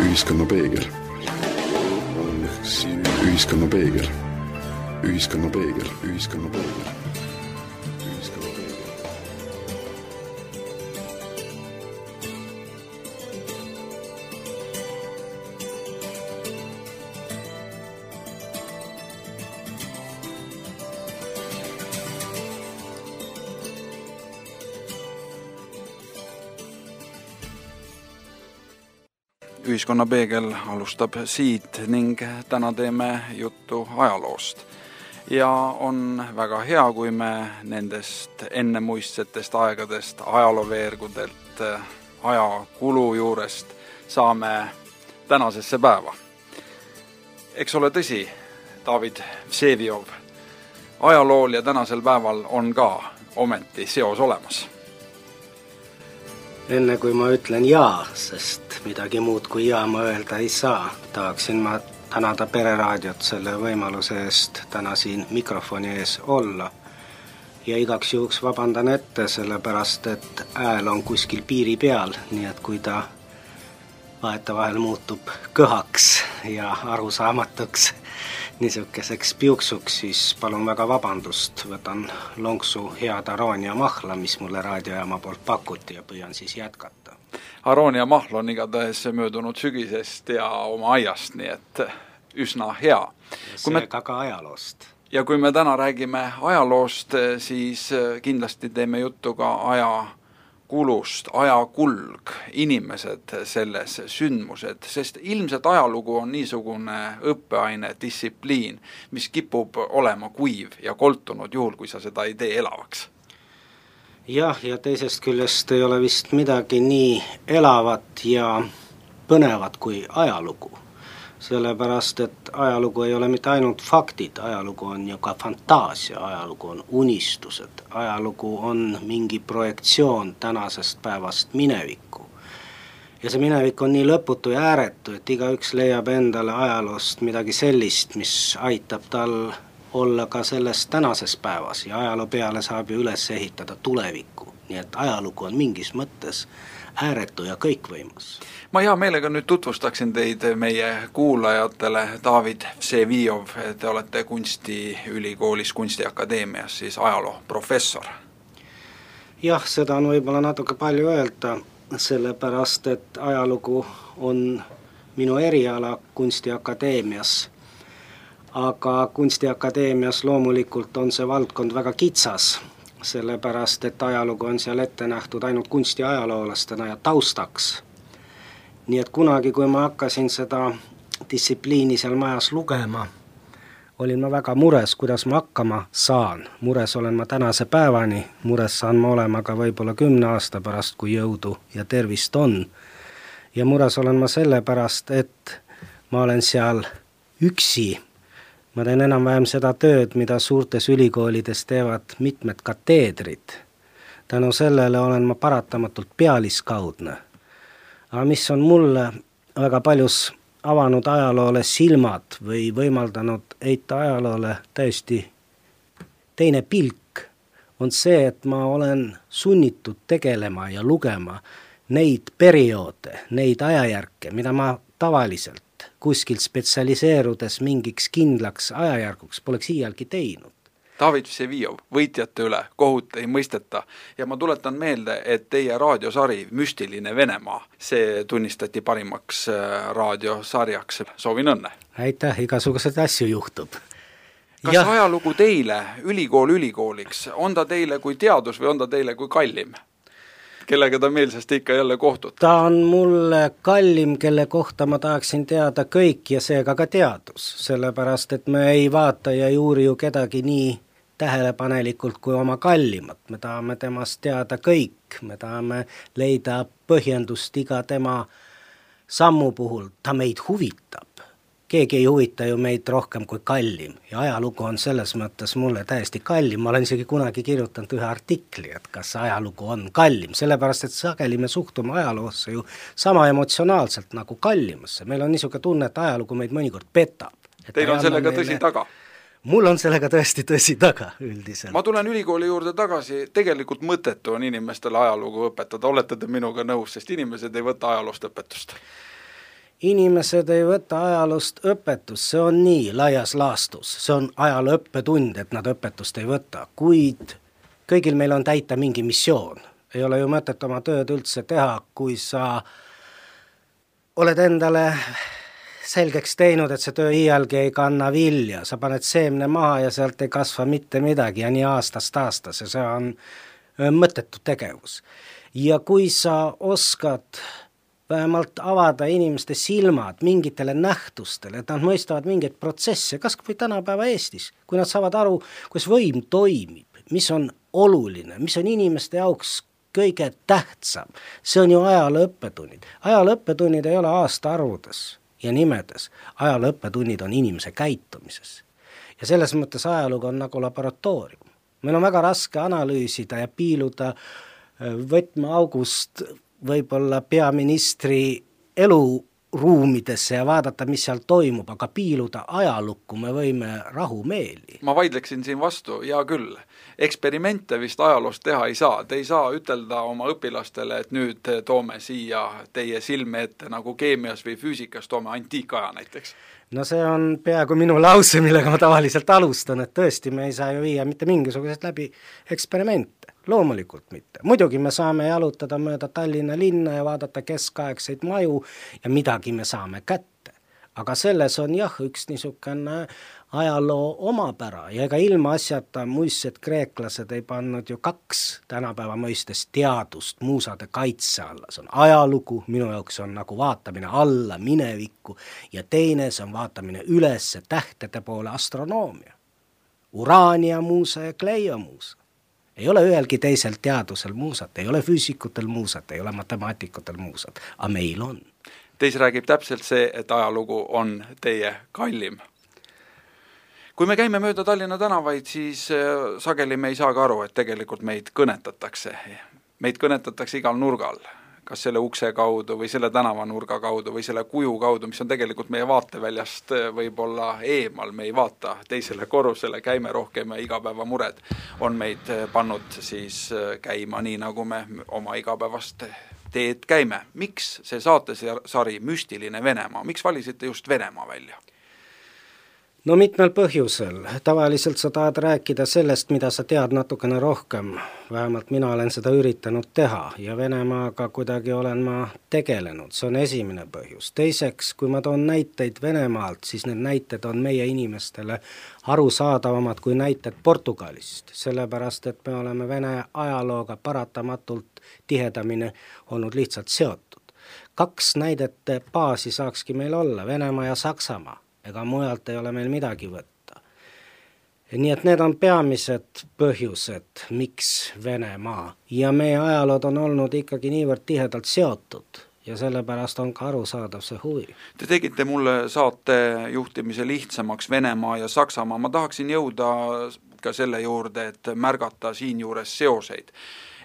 Ühiskonnapeegel. Ühiskonnapeegel. Ühiskonnapeegel. Ühiskonnapeegel. Ühiskonnapeegel alustab siit ning täna teeme juttu ajaloost. Ja on väga hea, kui me nendest ennemuistsetest aegadest, ajalooveergudelt, ajakulu juurest saame tänasesse päeva. Eks ole tõsi, David Vseviov, ajalool ja tänasel päeval on ka ometi seos olemas. Enne kui ma ütlen jaa, sest midagi muud kui jaa ma öelda ei saa, tahaksin ma tänada Pereraadiot selle võimaluse eest täna siin mikrofoni ees olla. Ja igaks juhuks vabandan ette, sellepärast et hääl on kuskil piiri peal, nii et kui ta vahetevahel muutub kõhaks ja arusaamatuks niisuguseks piuksuks, siis palun väga vabandust, võtan lonksu head aroonia mahla, mis mulle raadiojaama poolt pakuti ja püüan siis jätkata. Aroonia mahl on igatahes möödunud sügisest ja oma aiast, nii et üsna hea. Seega ka ajaloost. Ja kui me täna räägime ajaloost, siis kindlasti teeme juttu ka ajakulust, ajakulg, inimesed selles, sündmused, sest ilmselt ajalugu on niisugune õppeaine, distsipliin, mis kipub olema kuiv ja koltunud juhul, kui sa seda ei tee elavaks. Jah, ja teisest küljest ei ole vist midagi nii elavat ja põnevat kui ajalugu. Sellepärast, et ajalugu ei ole mitte ainult faktid, ajalugu on ju ka fantaasia, ajalugu on unistused, ajalugu on mingi projektsioon tänasest päevast minevikku. Ja see minevik on nii lõputu ja ääretu, et igaüks leiab endale ajaloost midagi sellist, mis aitab tal olla ka selles tänases päevas ja ajaloo peale saab ju üles ehitada tulevikku. Nii et ajalugu on mingis mõttes ääretu ja kõikvõimas. Ma hea meelega nüüd tutvustaksin teid meie kuulajatele. David Vseviov, te olete Kunstiülikoolis, Kunstiakadeemias, siis ajaloo professor. Jah, seda on võib-olla natuke palju öelda, sellepärast, et ajalugu on minu eriala Kunstiakadeemias. Aga Kunstiakadeemias loomulikult on see valdkond väga kitsas, sellepärast, et ajalugu on seal ette nähtud ainult kunstiajaloolastena ja taustaks. Nii et kunagi, kui ma hakkasin seda distsipliini seal majas lugema, olin ma väga mures, kuidas ma hakkama saan. Mures olen ma tänase päevani, mures saan ma olema ka võib-olla 10 aasta pärast, kui jõudu ja tervist on. Ja mures olen ma sellepärast, et ma olen seal üksi. Ma teen enam-vähem seda tööd, mida suurtes ülikoolides teevad mitmed kateedrid. Tänu sellele olen ma paratamatult pealiskaudne. Aga mis on mulle väga paljus avanud ajaloole silmad või võimaldanud heita ajaloole täiesti teine pilk, on see, et ma olen sunnitud tegelema ja lugema neid perioode, neid ajajärke, mida ma tavaliselt kuskil spetsialiseerudes mingiks kindlaks ajajärguks poleks iialgi teinud. David Vseviov, võitjate üle, kohut ei mõisteta ja ma tuletan meelde, et teie raadiosari Müstiline Venemaa, see tunnistati parimaks raadiosarjaks. Soovin õnne! Aitäh, igasugused asju juhtub. Kas ajalugu teile, ülikooliks, on ta teile kui teadus või on ta teile kui kallim? Kellega ta meelsasti ikka jälle kohtub? Ta on mulle kallim, kelle kohta ma tahaksin teada kõik ja seega ka teadus, sellepärast et me ei vaata ja juuri ju kedagi nii tähelepanelikult kui oma kallimat. Me tahame temast teada kõik, me tahame leida põhjendust iga tema sammu puhul, ta meid huvitab. Keegi ei huvita ju meid rohkem kui kallim ja ajalugu on selles mõttes mulle täiesti kallim. Ma olen isegi kunagi kirjutanud ühe artikli, et kas ajalugu on kallim, sellepärast et sageli me suhtume ajaloosse ju sama emotsionaalselt nagu kallimasse. Meil on niisugune tunne, et ajalugu meid mõnikord petab. Teil on sellega tõsi taga? mul on sellega tõesti tõsi taga üldiselt. Ma tulen ülikooli juurde tagasi, tegelikult mõttetu on inimestele ajalugu õpetada, olete te minuga nõus, sest inimesed ei võta ajaloost õpetust? Inimesed ei võta ajaloost õpetust, see on nii laias laastus, see on ajaloo õppetund, et nad õpetust ei võta, kuid kõigil meil on täita mingi missioon. Ei ole ju mõtet oma tööd üldse teha, kui sa oled endale selgeks teinud, et see töö iialgi ei kanna vilja, sa paned seemne maha ja sealt ei kasva mitte midagi ja nii aastast aastas ja see on mõttetu tegevus. Ja kui sa oskad vähemalt avada inimeste silmad mingitele nähtustele, et nad mõistavad mingeid protsesse, kas või tänapäeva Eestis, kui nad saavad aru, kuidas võim toimib, mis on oluline, mis on inimeste jaoks kõige tähtsam, see on ju ajaloo õppetunnid. Ajaloo õppetunnid ei ole aastaarvudes ja nimedes, ajaloo õppetunnid on inimese käitumises. Ja selles mõttes ajalugu on nagu laboratoorium. Meil on väga raske analüüsida ja piiluda võtmeaugust võib-olla peaministri eluruumidesse ja vaadata, mis seal toimub, aga piiluda ajalukku me võime rahumeeli. Ma vaidleksin siin vastu, ja küll. Eksperimente vist ajaloost teha ei saa. Te ei saa ütelda oma õpilastele, et nüüd toome siia teie silme ette nagu keemias või füüsikas toome antiikaja näiteks. No see on peaaegu minu lause, millega ma tavaliselt alustan, et tõesti me ei saa ju viia mitte mingisugused läbi eksperimente. Loomulikult mitte. Muidugi me saame jalutada mööda Tallinna linna ja vaadata keskaegseid maju ja midagi me saame kätte. Aga selles on jah üks niisugune ajaloo omapära ja ega ilma asjata muistsed kreeklased ei pannud ju 2 tänapäeva mõistes teadust muusade kaitse alla. See on ajalugu, minu jaoks on nagu vaatamine alla minevikku ja teine see on vaatamine üles tähtede poole astronoomia. Uraania muusa ja Kleio muusa. Ei ole ühelgi teisel teadusel muusat, ei ole füüsikutel muusat, ei ole matemaatikutel muusat, aga meil on. Teis räägib täpselt see, et ajalugu on teie kallim. Kui me käime mööda Tallinna tänavaid, siis sageli me ei saa ka aru, et tegelikult meid kõnetatakse. Meid kõnetatakse igal nurgal, kas selle ukse kaudu või selle tänavanurga kaudu või selle kuju kaudu, mis on tegelikult meie vaateväljast võib-olla eemal, me ei vaata teisele korrusele, käime rohkem ja igapäevamured on meid pannud siis käima nii, nagu me oma igapäevast teed käime. Miks see saatesari Müstiline Venemaa, miks valisite just Venemaa välja? No mitmel põhjusel. Tavaliselt sa tahad rääkida sellest, mida sa tead natukene rohkem. Vähemalt mina olen seda üritanud teha ja Venemaaga kuidagi olen ma tegelenud. See on esimene põhjus. Teiseks, kui ma toon näiteid Venemaalt, siis need näited on meie inimestele arusaadavamad kui näited Portugalist. Sellepärast, et me oleme Vene ajalooga paratamatult tihedamini olnud lihtsalt seotud. 2 näidete baasi saakski meil olla, Venemaa ja Saksamaa. Ega mujalt ei ole meil midagi võtta. Nii et need on peamised põhjused, miks Venemaa. Ja meie ajalood on olnud ikkagi niivõrd tihedalt seotud ja sellepärast on ka arusaadav see huvi. Te tegite mulle saate juhtimise lihtsamaks Venemaa ja Saksamaa. Ma tahaksin jõuda ka selle juurde, et märgata siin juures seoseid.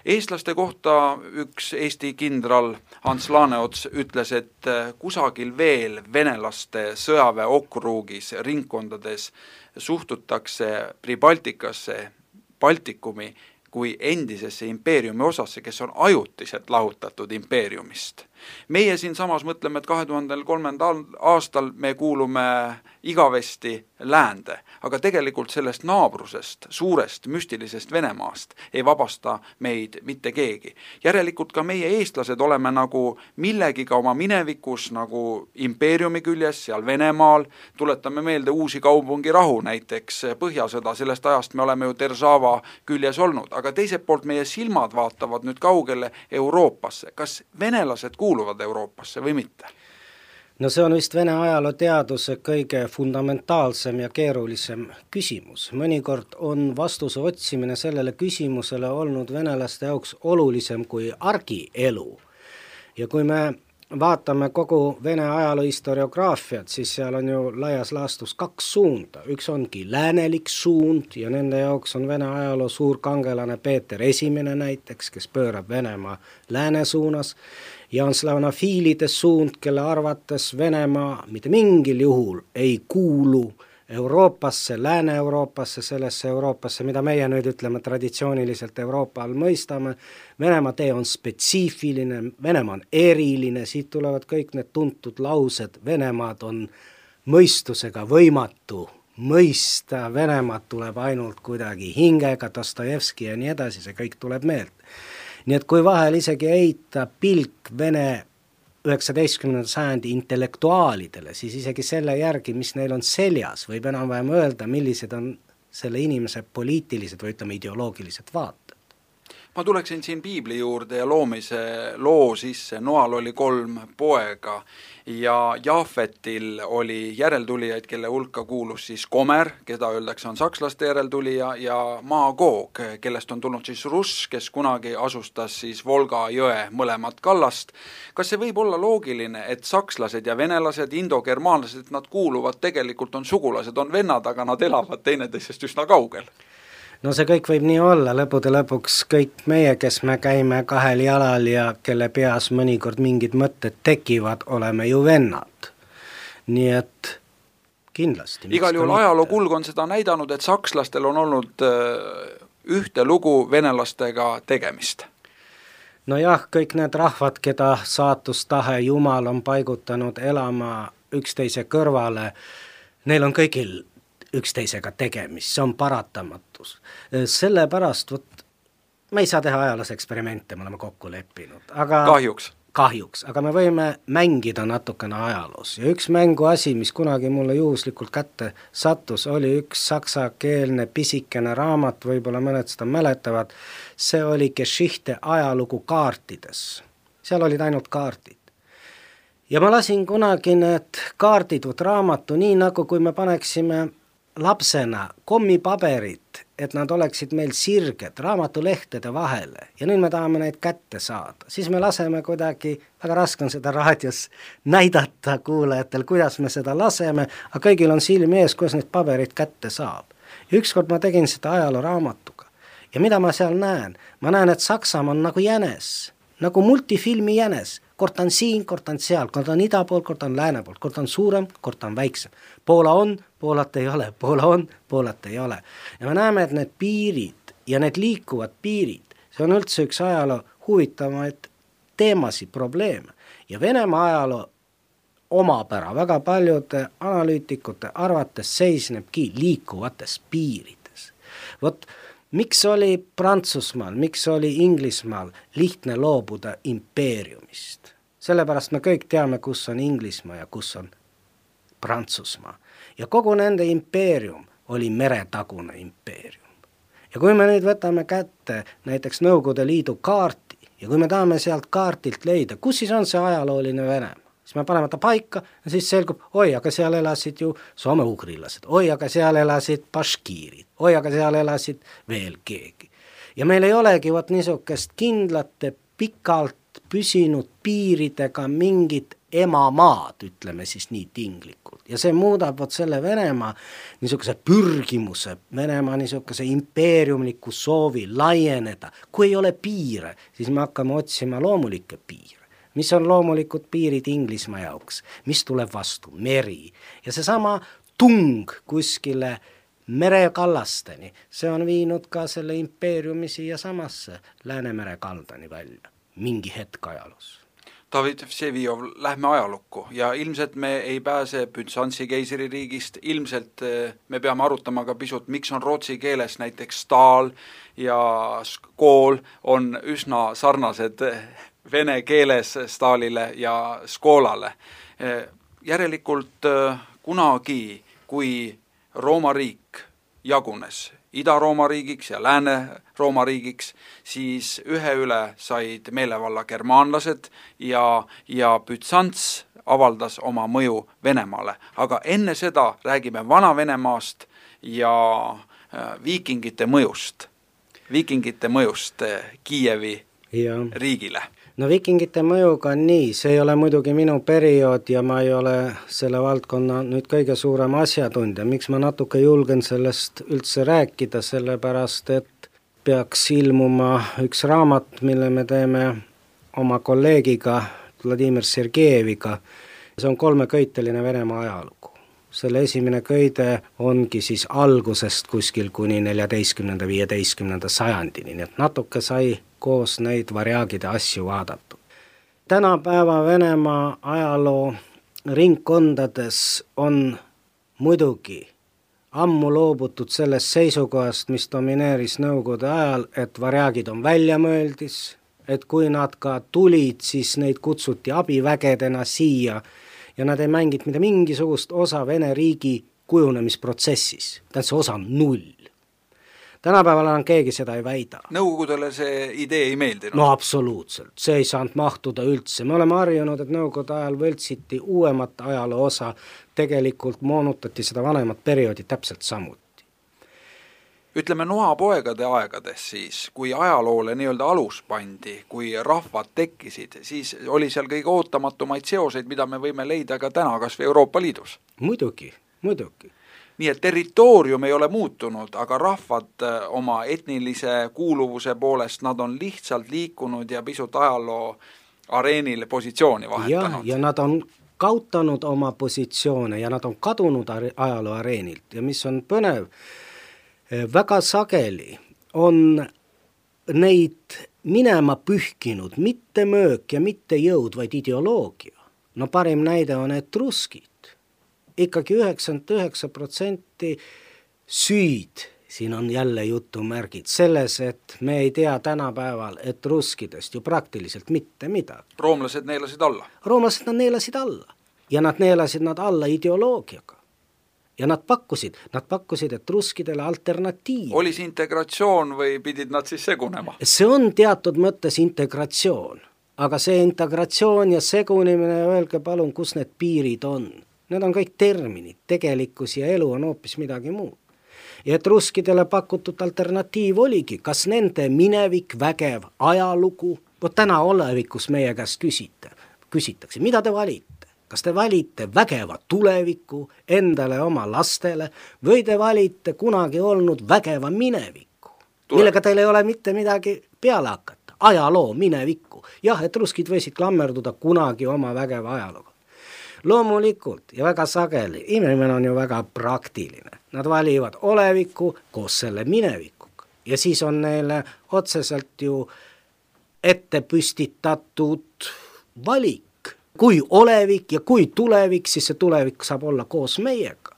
Eestlaste kohta üks Eesti kindral Hans Laaneots ütles, et kusagil veel venelaste sõjaväe okruugis ringkondades suhtutakse Pribaltikasse, Baltikumi kui endisesse impeeriumi osasse, kes on ajutiselt lahutatud impeeriumist. Meie siin samas mõtleme, et 2003. aastal me kuulume igavesti läände, aga tegelikult sellest naabrusest, suurest müstilisest Venemaast ei vabasta meid mitte keegi. Järelikult ka meie eestlased oleme nagu millegiga oma minevikus, nagu impeeriumi küljes, seal Venemaal, tuletame meelde uusi kaubungirahu, näiteks Põhjasõda, sellest ajast me oleme ju Deržava küljes olnud, aga teiselt poolt meie silmad vaatavad nüüd kaugele Euroopasse. Kas venelased kuuluvad Euroopasse või mitte? No see on vist Vene ajalooteaduse kõige fundamentaalsem ja keerulisem küsimus. Mõnikord on vastuse otsimine sellele küsimusele olnud venelaste jaoks olulisem kui argielu. Ja kui me vaatame kogu Vene ajaloo historiograafiat, siis seal on ju laias laastus 2 suunda. Üks ongi läänelik suund ja nende jaoks on Vene ajaloo suur kangelane Peeter I näiteks, kes pöörab Venemaa lääne suunas, ja on slavonofiilide suund, kelle arvates Venemaa mitte mingil juhul ei kuulu Euroopasse, Lääne-Euroopasse, sellesse Euroopasse, mida meie nüüd ütleme traditsiooniliselt Euroopa all mõistame. Venemaa tee on spetsiifiline, Venemaa on eriline, siit tulevad kõik need tuntud laused, Venemaad on mõistusega võimatu mõista, Venemaad tuleb ainult kuidagi hingega, Dostojevski ja nii edasi, see kõik tuleb meelde. Nii et kui vahel isegi heita pilk Vene 19. sajandi intellektuaalidele, siis isegi selle järgi, mis neil on seljas, võib enam-vähem öelda, millised on selle inimese poliitilised või ütleme ideoloogilised vaated. Ma tuleksin siin piibli juurde ja loomise loo sisse. Noal oli 3 poega ja Jaafetil oli järeltulijaid, kelle hulka kuulus siis Gomer, keda öeldakse on sakslaste järeltulija, ja Magog, kellest on tulnud siis Russ, kes kunagi asustas siis Volga jõe mõlemat kallast. Kas see võib olla loogiline, et sakslased ja venelased, indogermaanlased, nad kuuluvad tegelikult, on sugulased, on vennad, aga nad elavad teineteisest üsna kaugel? No see kõik võib nii olla, lõpude lõpuks kõik meie, kes me käime 2 jalal ja kelle peas mõnikord mingid mõtted tekivad, oleme ju vennad. Nii et kindlasti. Igal juhul ajaloo kulg on seda näidanud, et sakslastel on olnud ühte lugu venelastega tegemist. No jah, kõik need rahvad, keda saatustahe Jumal on paigutanud elama üksteise kõrvale, neil on kõigil üksteisega tegemist, see on paratamatus. Sellepärast, me ei saa teha ajaloos eksperimente, me oleme kokku leppinud. Aga kahjuks, aga me võime mängida natukene ajaloos. Ja üks mängu asi, mis kunagi mulle juhuslikult kätte sattus, oli üks saksakeelne pisikene raamat, võib-olla mõned seda mäletavad, see oli Geschichte ajalugu kaartides. Seal olid ainult kaardid. Ja ma lasin kunagi need kaardid raamatu nii, nagu kui me paneksime lapsena kommipaberit, et nad oleksid meil sirged raamatulehtede vahele ja nüüd me tahame neid kätte saada. Siis me laseme kuidagi, väga raske on seda raadios näidata kuulajatel, kuidas me seda laseme, aga kõigil on silmi ees, kuidas neid paberit kätte saab. Ja ükskord ma tegin seda ajalooraamatuga. Ja mida ma seal näen? Ma näen, et Saksamaa on nagu jänes, nagu multifilmi jänes. Kord on siin, kord on seal, kord on ida pool, kord on lääne pool, kord on suurem, kord on väiksem. Poola on, Poolat ei ole, Poola on, Poolat ei ole. Ja me näeme, et need piirid ja need liikuvad piirid, see on üldse üks ajaloo huvitavaid teemasi, probleeme. Ja Venemaa ajaloo omapära väga paljude analüütikute arvates seisnebki liikuvates piirides. Vot, miks oli Prantsusmaal, miks oli Inglismaal lihtne loobuda impeeriumist? Sellepärast me kõik teame, kus on Inglismaa ja kus on Prantsusmaa. Ja kogu nende impeerium oli meretagune impeerium. Ja kui me nüüd võtame kätte näiteks Nõukogude Liidu kaarti ja kui me tahame sealt kaartilt leida, kus siis on see ajalooline Venemaa, siis me paneme ta paika ja siis selgub, oi, aga seal elasid ju soome-ugrilased, oi, aga seal elasid baškiirid, oi, aga seal elasid veel keegi. Ja meil ei olegi niisugust kindlate pikalt püsinud piiridega mingit emamaad, ütleme siis nii tinglikult. Ja see muudab selle Venemaa niisuguse pürgimuse, Venemaa niisuguse impeeriumliku soovi laieneda. Kui ei ole piire, siis me hakkame otsima loomulikke piire. Mis on loomulikud piirid Inglismaa jaoks? Mis tuleb vastu? Meri. Ja seesama tung kuskile merekallasteni, see on viinud ka selle impeeriumi siia samasse Läänemere kaldani välja. Mingi hetk ajaloos. David Vseviov, lähme ajalukku ja ilmselt me ei pääse Bütsantsi keisririigist, ilmselt me peame arutama ka pisut, miks on rootsi keeles näiteks staal ja skool on üsna sarnased vene keeles staalile ja skoolale. Järelikult kunagi, kui Rooma riik jagunes Ida-Rooma riigiks ja Lääne-Rooma riigiks, siis ühe üle said meelevalla germaanlased ja Bütsants avaldas oma mõju Venemaale. Aga enne seda räägime Vana-Venemaast ja viikingite mõjust Kiievi riigile. No viikingite mõjuga on nii, see ei ole muidugi minu periood ja ma ei ole selle valdkonna nüüd kõige suurem asjatundja. Miks ma natuke julgen sellest üldse rääkida, sellepärast et peaks ilmuma üks raamat, mille me teeme oma kolleegiga Vladimir Sergejeviga. See on 3-köiteline Venemaa ajalugu. selle esimene köide ongi siis algusest kuskil kuni 14.–15. sajandini, nii et natuke sai koos neid varjaagide asju vaadatud. Tänapäeva Venemaa ajaloo ringkondades on muidugi ammu loobutud sellest seisukohast, mis domineeris nõukogude ajal, et varjaagid on väljamõeldis, et kui nad ka tulid, siis neid kutsuti abivägedena siia ja nad ei mänginud mitte mingisugust osa Vene riigi kujunemisprotsessis. See osa on null. Tänapäeval enam keegi seda ei väida. Nõukogudele see idee ei meeldinud? No absoluutselt, see ei saanud mahtuda üldse. Me oleme harjunud, et nõukogude ajal võltsiti uuemat ajaloo osa, tegelikult moonutati seda vanemat perioodi täpselt samuti. Ütleme noapoegade aegades siis, kui ajaloole nii-öelda alus pandi, kui rahvad tekkisid, siis oli seal kõige ootamatumaid seoseid, mida me võime leida ka täna kas või Euroopa Liidus. Muidugi. Nii et territoorium ei ole muutunud, aga rahvad oma etnilise kuuluvuse poolest, nad on lihtsalt liikunud ja pisut ajaloo areenil positsiooni vahetanud. Ja nad on kaotanud oma positsioone ja nad on kadunud ajaloo areenilt ja mis on põnev, väga sageli on neid minema pühkinud mitte möök ja mitte jõud, vaid ideoloogia. No parim näide on etruskid. Ikkagi 99% süüd, siin on jälle jutumärgid, selles, et me ei tea tänapäeval etruskidest ju praktiliselt mitte midagi. Roomlased neelasid alla? Roomlased nad neelasid alla ja nad neelasid nad alla ideoloogiaga. Ja nad pakkusid etruskidele alternatiivi. Oli see integratsioon või pidid nad siis segunema? See on teatud mõttes integratsioon, aga see integratsioon ja segunimine, öelge palun, kus need piirid on. Need on kõik terminid, tegelikkus ja elu on hoopis midagi muud. Ja etruskidele pakutud alternatiiv oligi, kas nende minevik, vägev ajalugu, täna olevikus meie käest küsitakse, mida te valite? Kas te valite vägeva tuleviku endale oma lastele või te valite kunagi olnud vägeva minevikku, millega teil ei ole mitte midagi peale hakata, ajaloo minevikku. Jah, etruskid võisid klammerduda kunagi oma vägeva ajalooga. Loomulikult ja väga sageli, inimene on ju väga praktiline, nad valivad oleviku koos selle minevikuga ja siis on neile otseselt ju ette püstitatud valik. Kui olevik ja kui tulevik, siis see tulevik saab olla koos meiega.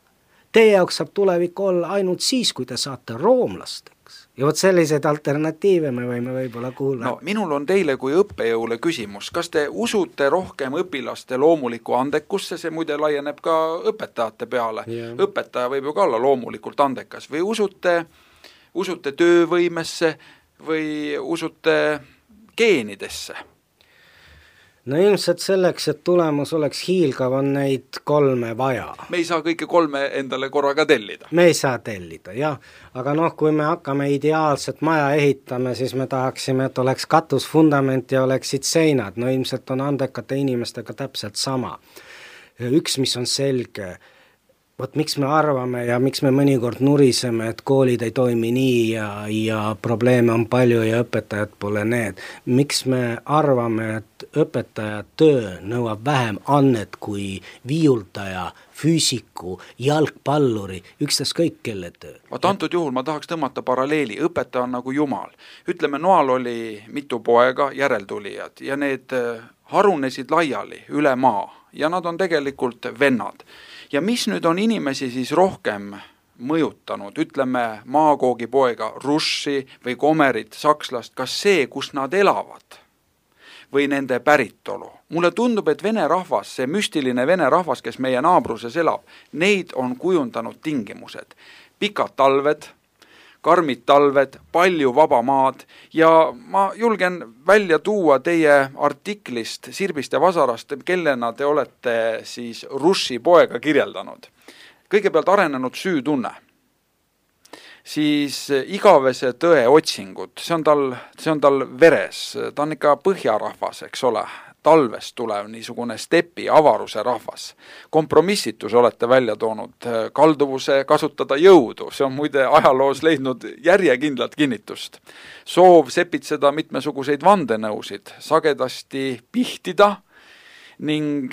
Teie jaoks saab tulevik olla ainult siis, kui te saate roomlasteks. Ja vot selliseid alternatiive me võime võib-olla kuulda. No, minul on teile kui õppejõule küsimus. Kas te usute rohkem õpilaste loomuliku andekusse? See muide laieneb ka õpetajate peale. Yeah. Õpetaja võib ju ka olla loomulikult andekas. Või usute töövõimesse või usute geenidesse? No ilmselt selleks, et tulemus oleks hiilgav, on neid 3 vaja. Me ei saa kõike 3 endale korraga tellida. Me ei saa tellida, jah. Aga kui me hakkame ideaalset maja ehitame, siis me tahaksime, et oleks katus, fundament ja oleksid seinad. No ilmselt on andekate inimestega täpselt sama. Üks, mis on selge, vot miks me arvame ja miks me mõnikord nuriseme, et koolid ei toimi nii ja probleeme on palju ja õpetajad pole need. Miks me arvame, et õpetaja töö nõuab vähem annet kui viiuldaja, füüsiku, jalgpalluri, ükstaskõik kelle töö. Vaat antud juhul ma tahaks tõmmata paralleeli, õpetaja on nagu jumal. Ütleme, noal oli mitu poega, järeltulijad ja need harunesid laiali üle maa ja nad on tegelikult vennad. Ja mis nüüd on inimesi siis rohkem mõjutanud, ütleme maakoogi poega Russi või Komerit, sakslast, kas see, kus nad elavad või nende päritolu? Mulle tundub, et vene rahvas, see müstiline vene rahvas, kes meie naabruses elab, neid on kujundanud tingimused. Pikad talved, karmid talved, palju vaba maad ja ma julgen välja tuua teie artiklist Sirbist ja Vasarast, kellena te olete siis Russi poega kirjeldanud. Kõigepealt arenenud süütunne, siis igavese tõe otsingud, see on tal veres, ta on ikka põhjarahvas, eks ole, talvest tulev niisugune stepi avaruse rahvas. Kompromissitus olete välja toonud, kalduvuse kasutada jõudu, see on muide ajaloos leidnud järjekindlat kinnitust. Soov sepitseda mitmesuguseid vandenõusid, sagedasti pihtida, ning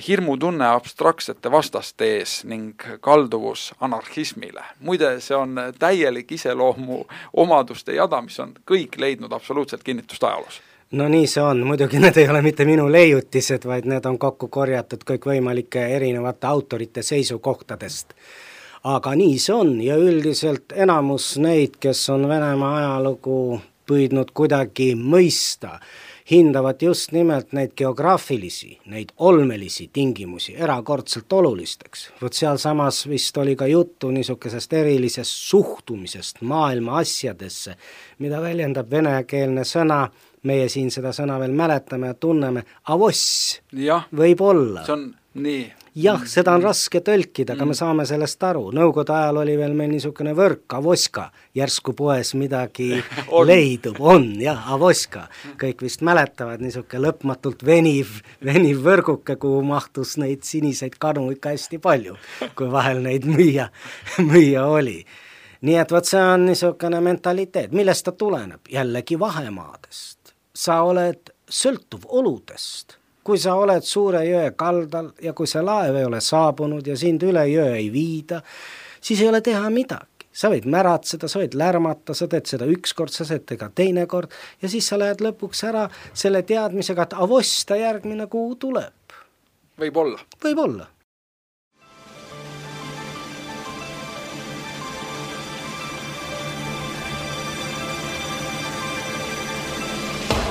hirmutunne abstraktsete vastaste ees ning kalduvus anarhismile. Muide, see on täielik iseloomu omaduste jada, mis on kõik leidnud absoluutselt kinnitust ajaloos. No nii see on, muidugi need ei ole mitte minu leiutised, vaid need on kokku korjatud kõikvõimalike erinevate autorite seisukohtadest. Aga nii see on ja üldiselt enamus neid, kes on Venemaa ajalugu püüdnud kuidagi mõista, hindavad just nimelt neid geograafilisi, neid olmelisi tingimusi erakordselt olulisteks. Võt seal samas vist oli ka juttu niisugusest erilisest suhtumisest maailma asjadesse, mida väljendab venekeelne sõna, meie siin seda sõna veel mäletame ja tunneme, avoss võib olla. See on nii. Jah, seda on raske tõlkida, aga me saame sellest aru. Nõukogude ajal oli veel meil niisugune võrk, avoska, järsku poes midagi leidub, jah, avoska. Kõik vist mäletavad niisugune lõpmatult veniv võrguke, kuhu mahtus neid siniseid kanu ikka hästi palju, kui vahel neid müüa oli. Nii et võt see on niisugune mentaliteet, millest ta tuleneb? Jällegi vahemaadest. Sa oled sõltuv oludest. Kui sa oled suure jõe kaldal ja kui see laev ei ole saabunud ja sind üle jõe ei viida, siis ei ole teha midagi. Sa võid märatseda, sa võid lärmata, sa teed seda ükskord, sa teed ka teine kord ja siis sa lähed lõpuks ära selle teadmisega, et avosta järgmine kuu tuleb. Võib olla. Võib olla.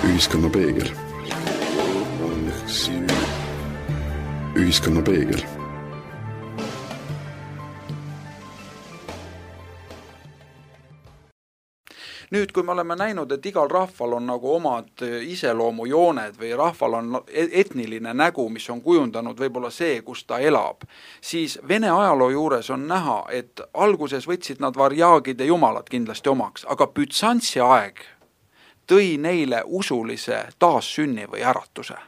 Ühiskonna peegel. Ühiskonna peegel. Nüüd, kui me oleme näinud, et igal rahval on nagu omad iseloomujooned või rahval on etniline nägu, mis on kujundanud võib-olla see, kus ta elab, siis Vene ajaloo juures on näha, et alguses võtsid nad varjaagid ja jumalad kindlasti omaks, aga Bütsantsi aeg tõi neile usulise taassünni või äratuse.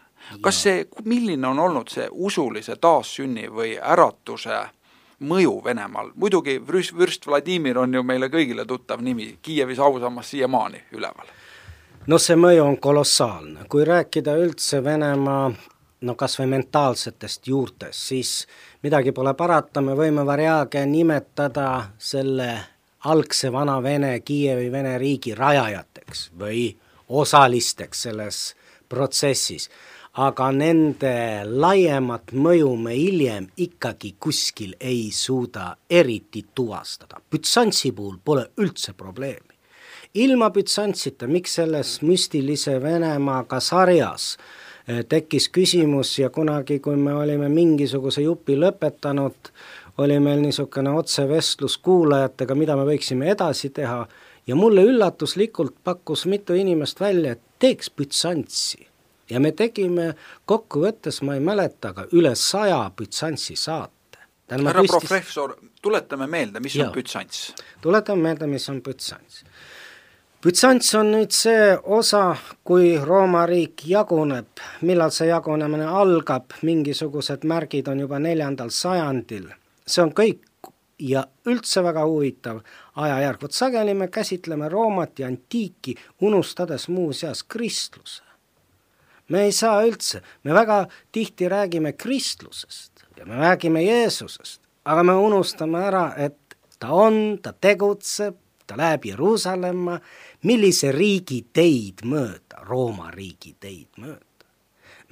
Kas see, milline on olnud see usulise taassünni või äratuse mõju Venemaal? Muidugi vürst Vladimir on ju meile kõigile tuttav nimi, Kiievis ausammas siiamaani üleval. No see mõju on kolossaalne. Kui rääkida üldse Venemaa, kas või mentaalsetest juurtest, siis midagi pole parata, me võime varjaage nimetada selle algse vana Vene, Kiievi Vene riigi rajajateks või osalisteks selles protsessis, aga nende laiemat mõju me hiljem ikkagi kuskil ei suuda eriti tuvastada. Bütsantsi puhul pole üldse probleemi. Ilma Bütsantsita, miks selles müstilise Venemaaga sarjas tekkis küsimus ja kunagi, kui me olime mingisuguse jupi lõpetanud, oli meil niisugune otsevestlus kuulajatega, mida me võiksime edasi teha ja mulle üllatuslikult pakkus mitu inimest välja, et teeks Bütsantsi. Ja me tegime kokkuvõttes, ma ei mäleta, aga üle 100 Bütsantsi saate. Härra professor, tuletame meelde, mis on Bütsants? Tuletame meelde, mis on Bütsants. Bütsants on nüüd see osa, kui Rooma riik jaguneb, millal see jagunemine algab, mingisugused märgid on juba 4. sajandil. See on kõik ja üldse väga huvitav ajajärg. Vot sageli me käsitleme Roomat ja antiiki, unustades muuseas kristluse. Me ei saa üldse, me väga tihti räägime kristlusest ja me räägime Jeesusest, aga me unustame ära, et ta on, ta tegutseb, ta läheb Jeruusalemma, millise riigi teid mööda, Rooma riigi teid mööda.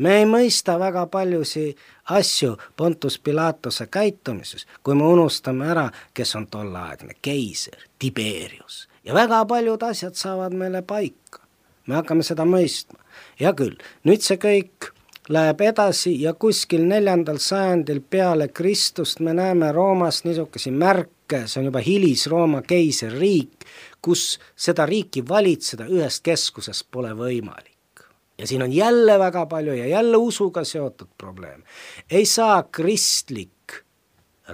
Me ei mõista väga paljusi asju Pontus Pilatose käitumises, kui me unustame ära, kes on tolleaegne keiser, Tiberius. Ja väga paljud asjad saavad meile paika. Me hakkame seda mõistma. Ja küll, nüüd see kõik läheb edasi ja kuskil 4. sajandil peale Kristust me näeme Roomas niisuguse märke, see on juba hilis-Rooma keiserriik, kus seda riiki valitseda ühest keskusest pole võimalik. Ja siin on jälle väga palju ja jälle usuga seotud probleem. Ei saa kristlik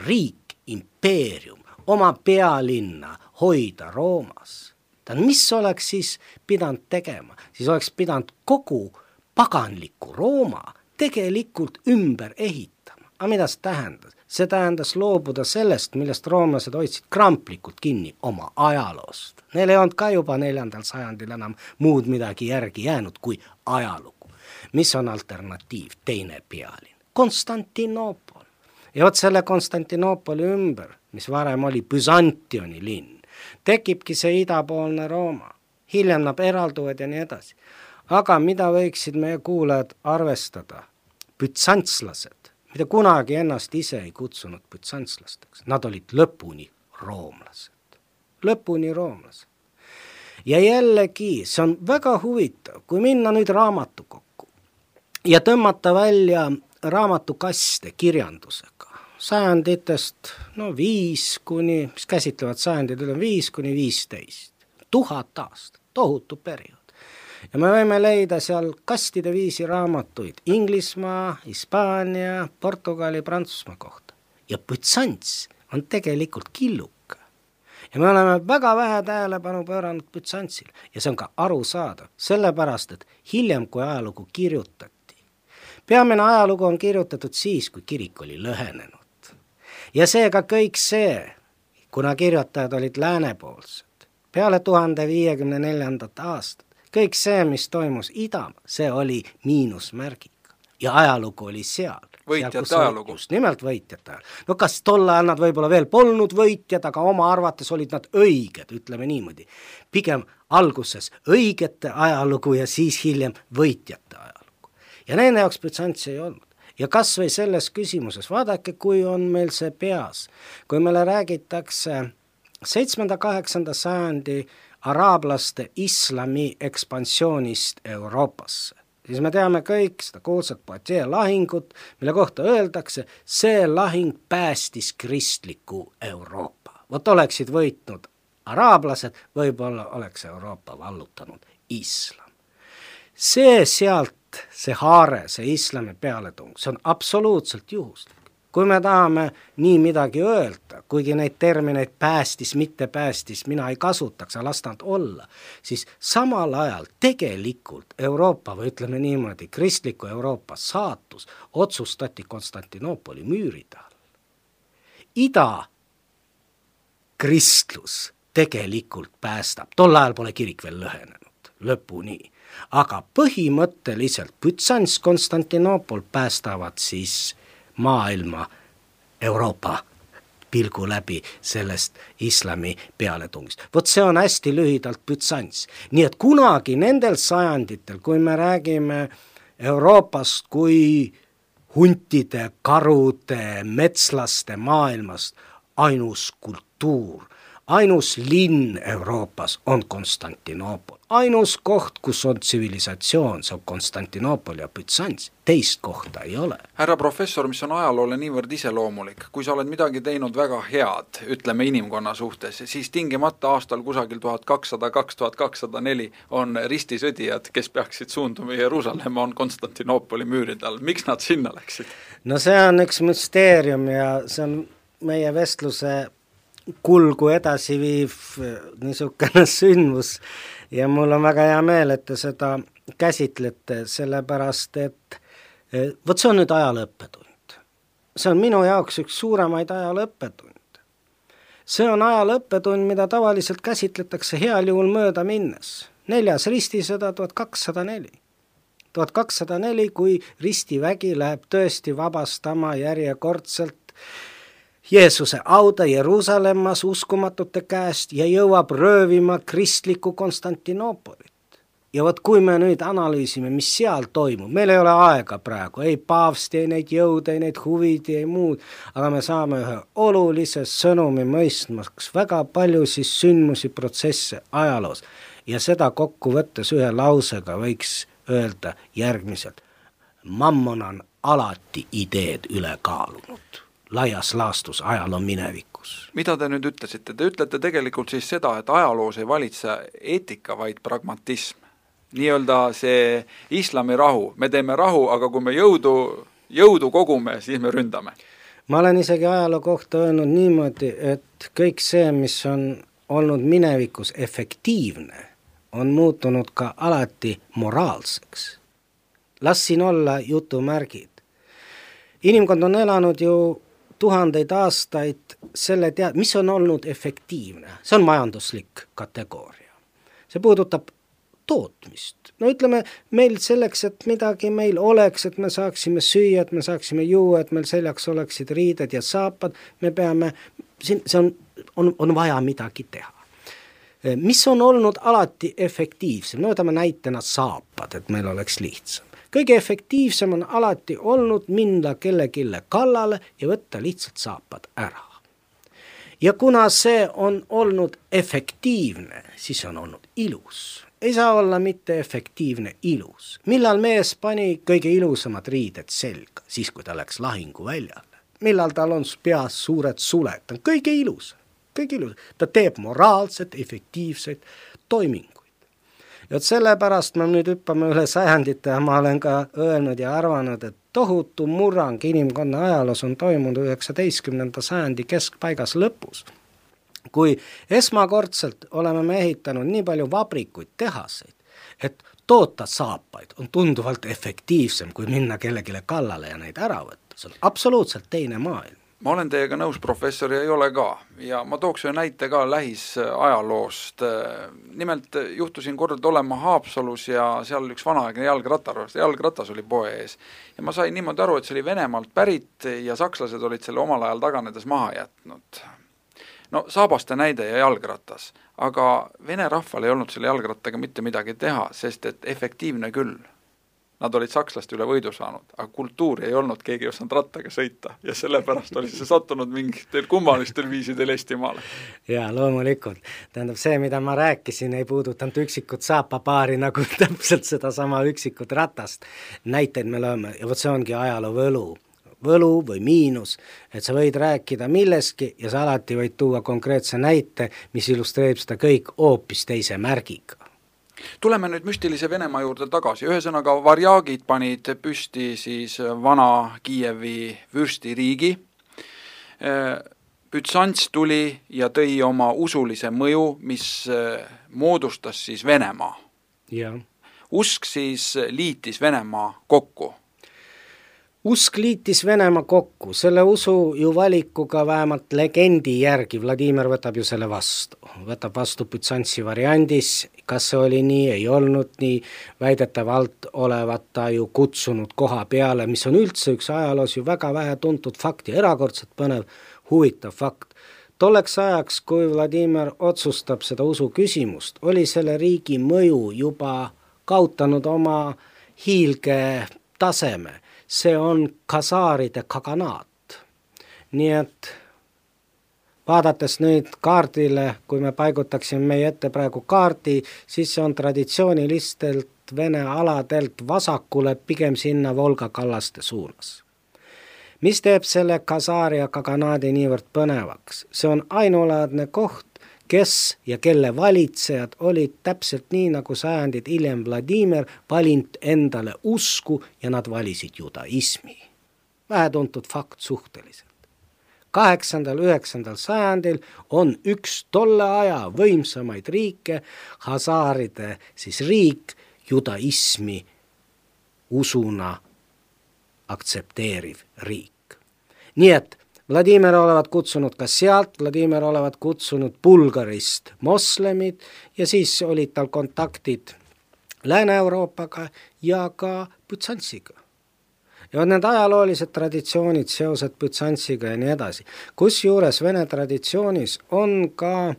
riik, impeerium, oma pealinna hoida Roomas. Mis oleks siis pidanud tegema? Siis oleks pidanud kogu paganliku Rooma tegelikult ümber ehitama. Aga mida see tähendas? See tähendas loobuda sellest, millest roomlased hoidsid kramplikult kinni oma ajaloost. Neil ei olnud ka juba 4. sajandil enam muud midagi järgi jäänud kui ajalugu. mis on alternatiiv, teine pealinn? Konstantinoopol. Ja vot selle Konstantinoopoli ümber, mis varem oli Byzantioni linn, tekibki see idapoolne Rooma. Hiljem nad eralduvad ja nii edasi. Aga mida võiksid meie kuulajad arvestada? Bütsantslased, mida kunagi ennast ise ei kutsunud bütsantslasteks. Nad olid lõpuni roomlased. Lõpuni roomlased. Ja jällegi, see on väga huvitav, kui minna nüüd raamatukokku ja tõmmata välja raamatukaste kirjandusega. Sajanditest, 5 kuni, mis käsitlevad sajandid, 5 kuni 15. 1000 aastat, tohutu periood. Ja me võime leida seal kastide viisi raamatuid Inglismaa, Hispaania, Portugali, Prantsusmaa kohta. Ja Bütsants on tegelikult killuka. Ja me oleme väga vähe tähelepanu pööranud Bütsantsil. Ja see on ka arusaadav, sellepärast, et hiljem, kui ajalugu kirjutati. Peamine ajalugu on kirjutatud siis, kui kirik oli lõhenenud. Ja seega kõik see, kuna kirjutajad olid läänepoolsed, peale 1054. aastat, kõik see, mis toimus Idamaa, see oli miinusmärgiga. Ja ajalugu oli seal. Võitjate ajalugu. Just nimelt võitjate ajalugu. No kas tol ajal nad võib-olla veel polnud võitjad, aga oma arvates olid nad õiged, ütleme niimoodi. Pigem alguses õigete ajalugu ja siis hiljem võitjate ajalugu. Ja nende jaoks Bütsantsi ei olnud. Ja kas või selles küsimuses, vaadake, kui on meil see peas, kui meile räägitakse 7.–8. sajandi araablaste islami ekspansioonist Euroopasse, siis me teame kõik seda kuulsat Poitiers lahingut, mille kohta öeldakse, see lahing päästis kristliku Euroopa. Vot oleksid võitnud araablased, võib-olla oleks Euroopa vallutanud islam. See sealt, see haare, see islami pealetung, see on absoluutselt juhuslik. Kui me tahame nii midagi öelda, kuigi neid termineid päästis, mitte päästis, mina ei kasutaks, las nad olla, siis samal ajal tegelikult Euroopa, või ütleme niimoodi, kristliku Euroopa saatus otsustati Konstantinoopoli müüride all. Ida kristlus tegelikult päästab, tol ajal pole kirik veel lõhenenud, lõpuni, aga põhimõtteliselt Bütsants, Konstantinoopol päästavad siis maailma Euroopa pilgu läbi sellest islami pealetungist. Vot see on hästi lühidalt Bütsants. Nii et kunagi nendel sajanditel, kui me räägime Euroopast kui huntide, karude, metslaste maailmast, ainus kultuur, ainus linn Euroopas on Konstantinoopol. Ainus koht, kus on tsivilisatsioon, see on Konstantinoopol ja Bütsants. Teist kohta ei ole. Härra professor, mis on ajaloole niivõrd iseloomulik, kui sa oled midagi teinud väga head, ütleme inimkonna suhtes, siis tingimata aastal kusagil 1200–2204 on ristisõdijad, kes peaksid suunduma Jeruusalemma, on Konstantinoopoli müüride all. Miks nad sinna läksid? No see on üks müsteerium ja see on meie vestluse kulgu edasi viiv niisugune sündmus ja mul on väga hea meel, et te seda käsitlete, sellepärast et vot see on nüüd ajalõppetund. See on minu jaoks üks suuremaid ajalõppetund. See on ajalõppetund, mida tavaliselt käsitletakse heal juhul mööda minnes. 4. ristisõda 1204. 1204, kui ristivägi läheb tõesti vabastama järjekordselt Jeesuse auda Jeruusalemmas uskumatute käest ja jõuab röövima kristlikku Konstantinoopolit. Ja vot kui me nüüd analüüsime, mis seal toimub, meil ei ole aega praegu, ei paavsti, ei neid jõude, ei neid huvid, ei muud, aga me saame ühe olulise sõnumi mõistmaks väga palju siis sündmusi, protsesse ajaloos. Ja seda kokku võttes ühe lausega võiks öelda järgmiselt. Mammon on alati ideed üle kaalunud. Laias laastus ajaloo minevikus. Mida te nüüd ütlesite? Te ütlete tegelikult siis seda, et ajaloos ei valitse eetika, vaid pragmatism. Nii-öelda see islami rahu. Me teeme rahu, aga kui me jõudu kogume, siis me ründame. Ma olen isegi ajaloo kohta öelnud niimoodi, et kõik see, mis on olnud minevikus efektiivne, on muutunud ka alati moraalseks. Las siin olla jutumärgid. Inimkond on elanud ju tuhandeid aastaid selle mis on olnud efektiivne. See on majanduslik kategooria. See puudutab tootmist. No ütleme, meil selleks, et midagi meil oleks, et me saaksime süüa, et me saaksime juua, et meil seljaks oleksid riided ja saapad, me peame, see on vaja midagi teha. Mis on olnud alati efektiivsem? No võtame näitena saapad, et meil oleks lihtsam. Kõige efektiivsem on alati olnud minna kellegile kallale ja võtta lihtsalt saapad ära. Ja kuna see on olnud efektiivne, siis on olnud ilus. Ei saa olla mitte efektiivne ilus. Millal mees pani kõige ilusamad riided selga, siis kui ta läks lahinguväljale. Millal tal on peas suured suled, ta on kõige ilus. Ta teeb moraalset, efektiivseid toiminguid. Ja sellepärast me nüüd hüppame üle sajandite ja ma olen ka öelnud ja arvanud, et tohutu murrang inimkonna ajaloos on toimunud 19. sajandi keskpaigas lõpus. Kui esmakordselt oleme me ehitanud nii palju vabrikuid, tehaseid, et toota saapaid on tunduvalt efektiivsem, kui minna kellegile kallale ja neid ära võtta. See on absoluutselt teine maailm. Ma olen teiega nõus, professor, ja ei ole ka. Ja ma tooks ühe näite ka lähisajaloost. Nimelt juhtusin kord olema Haapsalus ja seal üks vanaaegne jalgratas oli poe ees. Ja ma sain niimoodi aru, et see oli Venemaalt pärit ja sakslased olid selle omal ajal taganedes maha jätnud. No saabaste näide ja jalgratas, aga vene rahval ei olnud selle jalgrattaga mitte midagi teha, sest et efektiivne küll. Nad olid sakslaste üle võidu saanud, aga kultuuri ei olnud, keegi ei osanud rattaga sõita ja sellepärast oli see sattunud mingitel kummalistel viisidel Eestimaale. Jaa, loomulikult. Tähendab, see, mida ma rääkisin, ei puudutanud üksikut saapapaari nagu täpselt seda sama üksikut ratast. Näiteid me lööme, ja võt see ongi ajaloo võlu või miinus, et sa võid rääkida milleski ja sa alati võid tuua konkreetse näite, mis illustreerib seda kõik hoopis teise märgiga. Tuleme nüüd müstilise Venemaa juurde tagasi. Ühesõnaga varjaagid panid püsti siis vana Kiievi vürstiriigi. Bütsants tuli ja tõi oma usulise mõju, mis moodustas siis Venemaa. Ja. Usk siis liitis Venemaa kokku. Usk liitis Venemaa kokku, selle usu ju valikuga vähemalt legendi järgi, Vladimir võtab ju selle vastu. Võtab vastu Bütsantsi variandis, kas see oli nii, ei olnud nii, väidetavalt olevat ta ju kutsunud koha peale, mis on üldse üks ajaloos ju väga vähe tuntud fakt ja erakordselt põnev, huvitav fakt. Tolleks ajaks, kui Vladimir otsustab seda usu küsimust, oli selle riigi mõju juba kaotanud oma hiilge taseme. See on kasaaride kaganaat. Nii et vaadates nüüd kaardile, kui me paigutaksime meie ette praegu kaardi, siis see on traditsioonilistelt Vene aladelt vasakule pigem sinna Volga kallaste suunas. Mis teeb selle kasaaria kaganaadi niivõrd põnevaks? See on ainulaadne koht, kes ja kelle valitsejad olid täpselt nii, nagu sajandid hiljem Vladimir valinud endale usku ja nad valisid judaismi. Vähetuntud fakt suhteliselt. 8.–9. sajandil on üks tolle aja võimsamaid riike, hasaaride siis riik, judaismi usuna aktsepteeriv riik. Nii et Vladimir olevat kutsunud ka sealt, Vladimir olevat kutsunud Bulgarist moslemid ja siis olid tal kontaktid Lääne-Euroopaga ja ka Bütsantsiga. Ja need ajaloolised traditsioonid, seosed Bütsantsiga ja nii edasi. Kusjuures Vene traditsioonis on ka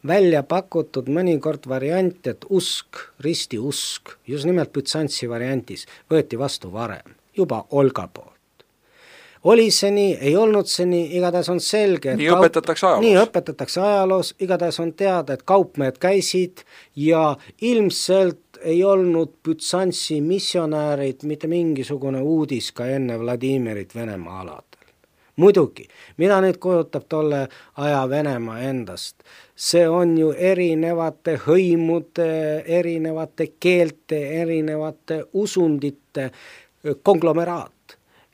välja pakutud mõnikord variant, et usk, ristiusk, just nimelt Bütsantsi variantis võeti vastu varem, juba Olga poolt. Oli see nii, ei olnud see nii, igatahes on selge, et nii õpetatakse ajaloos, igatahes on teada, et kaupmehed käisid ja ilmselt ei olnud Bütsantsi missionäärid mitte mingisugune uudis ka enne Vladimirit Venemaa aladel. Muidugi, mida nüüd kujutab tolle aja Venemaa endast? See on ju erinevate hõimude, erinevate keelte, erinevate usundite konglomeraat.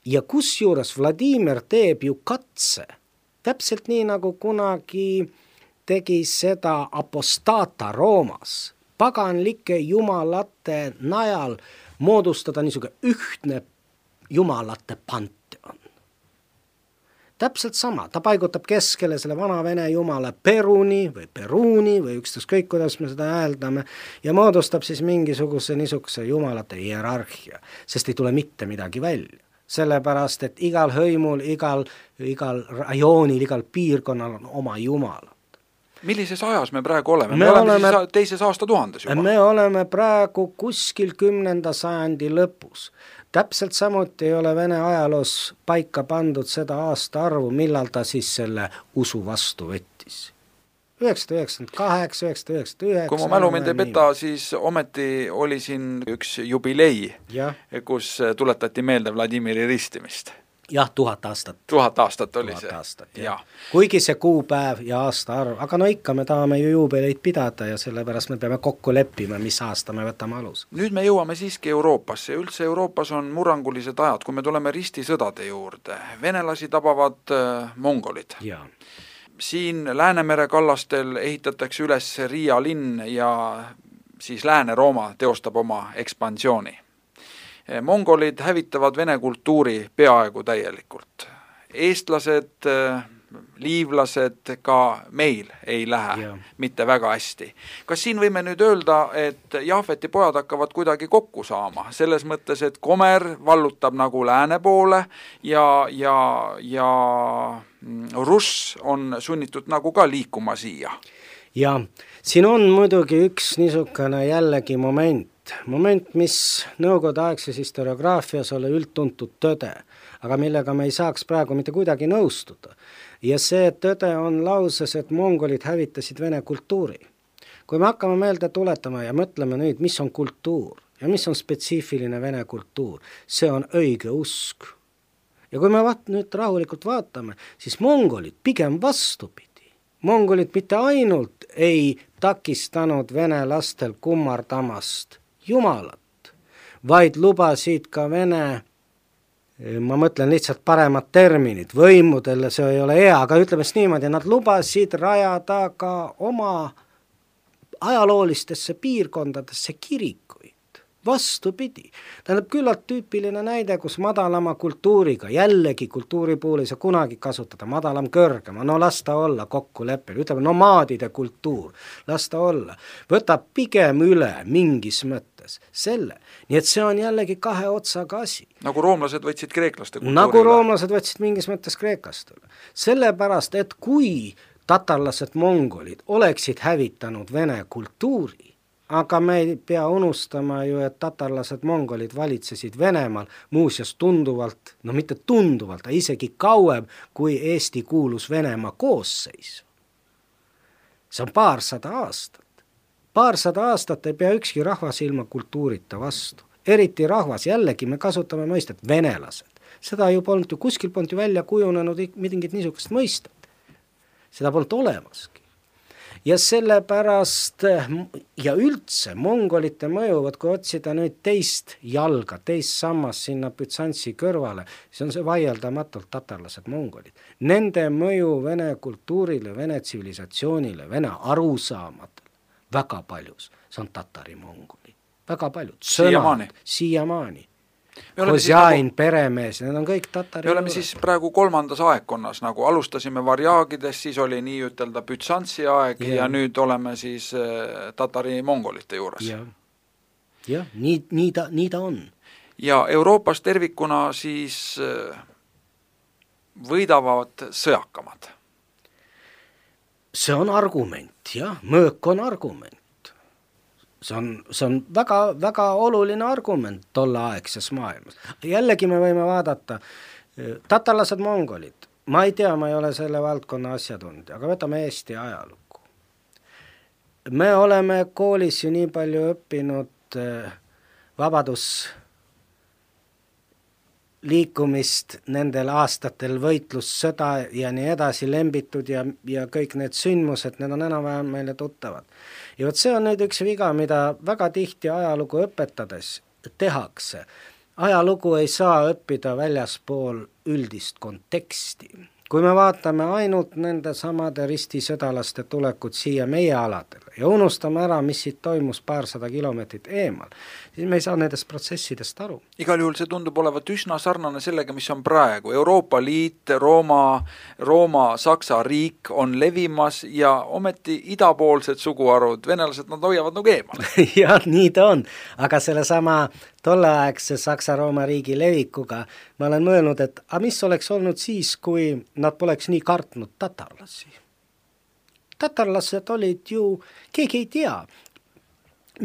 Ja kusjuures Vladimir teeb ju katse, täpselt nii nagu kunagi tegi seda apostata Roomas, paganlike jumalate najal moodustada niisugune ühtne jumalate panteon. täpselt sama, ta paigutab keskele selle vana vene jumala Peruni või ükskõik, kuidas me seda hääldame, ja moodustab siis mingisuguse niisuguse jumalate hierarhia, sest ei tule mitte midagi välja. Sellepärast, et igal hõimul, igal rajoonil, igal piirkonnal on oma jumal. Millises ajas me praegu oleme? Me oleme siis teises aastatuhandes juba. Me oleme praegu kuskil 10. sajandi lõpus. Täpselt samuti ei ole Vene ajaloos paika pandud seda aastaarvu, millal ta siis selle usu vastu võttis. 998, 999. Kui mu mälu mind ei peta, siis ometi oli siin üks jubilei, kus tuletati meelde Vladimiri ristimist. Jah, 1000 aastat. 1000 aastat oli 1000 see. Aastat, jah. Kuigi see kuupäev ja aastaarv, aga no ikka me tahame ju juubeleid pidada ja sellepärast me peame kokku leppima, mis aasta me võtame alus. Nüüd me jõuame siiski Euroopasse. Üldse Euroopas on murrangulised ajad, kui me tuleme ristisõdade juurde. Venelasi tabavad mongolid. Ja. Siin Läänemere kallastel ehitatakse üles Riia linn ja siis Lääne-Rooma teostab oma ekspansiooni. Mongolid hävitavad vene kultuuri peaaegu täielikult. Eestlased, liivlased ka meil ei lähe mitte väga hästi. Kas siin võime nüüd öelda, et Jahveti pojad hakkavad kuidagi kokku saama? Selles mõttes, et Komer vallutab nagu lääne poole ja Russ on sunnitud nagu ka liikuma siia. Ja siin on muidugi üks niisugune jällegi moment, mis nõukogudeaegses historiograafias ole üldtuntud tõde, aga millega me ei saaks praegu mitte kuidagi nõustuda. Ja see tõde on lauses, et mongolid hävitasid vene kultuuri. Kui me hakkame meelde tuletama ja mõtleme nüüd, mis on kultuur ja mis on spetsiifiline vene kultuur, see on õige usk. Ja kui me nüüd rahulikult vaatame, siis mongolid pigem vastupidi. Mongolid mitte ainult ei takistanud vene lastel kummardamast jumalat, vaid lubasid ka vene, ma mõtlen lihtsalt paremat terminit, võimudele, see ei ole hea, aga ütleme niimoodi, nad lubasid rajada ka oma ajaloolistesse piirkondadesse kirikuid. Vastupidi. Tähendab küllalt tüüpiline näide, kus madalama kultuuriga, jällegi kultuuri puhul ei saa kunagi kasutada, madalam kõrgema, no las ta olla kokkuleppel, ütleme nomaadide kultuur, las ta olla, võtab pigem üle mingis mõttes selle. Nii et see on jällegi kahe otsaga asi. Nagu roomlased võtsid kreeklaste kultuuri nagu roomlased võtsid mingis mõttes kreekast üle. Sellepärast, et kui tatarlased mongolid oleksid hävitanud vene kultuuri, aga me ei pea unustama ju, et tatarlased mongolid valitsesid Venemaal muuseas tunduvalt, no mitte tunduvalt, aga isegi kauem, kui Eesti kuulus Venemaa koosseisu. See on 200 aastat. 200 aastat ei pea ükski rahvas ilma kultuurita vastu. Eriti rahvas, jällegi me kasutame mõistet venelased. Seda ju polnud ju, kuskil polnud ju välja kujunenud mingit niisugust mõistet. Seda polnud olemaski. Ja sellepärast ja üldse mongolite mõjuvad, kui otsida nüüd teist jalga, teist sammas sinna Bütsantsi kõrvale, siis on see vaieldamatult tatarlased mongolid. Nende mõju vene kultuurile, vene tsivilisatsioonile, vene arusaamadele väga paljus, see on tatari mongolid. Väga paljud. Siiamaani. Hosjain, peremees, need on kõik tatari me oleme siis praegu 3. aegkonnas, nagu alustasime varjaagidest, siis oli nii ütelda Bütsantsi aeg ja nüüd oleme siis tatari mongolite juures. Ja, nii ta on. Ja Euroopas tervikuna siis võidavad sõjakamad. See on argument, jah, mõõk on argument. See on väga, väga oluline argument tolleaegses maailmas. Jällegi me võime vaadata, tatarlased mongolid, ma ei tea, ma ei ole selle valdkonna asjatundja, aga võtame Eesti ajalugu. Me oleme koolis ju nii palju õppinud vabadusliikumist nendel aastatel, võitlussõda ja nii edasi lembitud ja kõik need sündmused, need on enam-vähem meile tuttavad. Ja võt see on nüüd üks viga, mida väga tihti ajalugu õpetades tehakse. Ajalugu ei saa õppida väljaspool üldist konteksti. kui me vaatame ainult nende samade ristisõdalaste tulekut siia meie aladele ja unustame ära, mis siit toimus paarsada kilomeetrit eemal, siis me ei saa nendest protsessidest aru. Igal juhul see tundub olevat üsna sarnane sellega, mis on praegu. Euroopa Liit, Rooma, Saksa riik on levimas ja ometi idapoolsed suguharud, venelased, nad hoiavad nagu eemal. Jah, nii ta on, aga selle sama tolleaegse Saksa-Rooma riigi levikuga ma olen mõelnud, et mis oleks olnud siis, kui nad poleks nii kartnud tatarlasi. Tatarlased olid ju, keegi ei tea,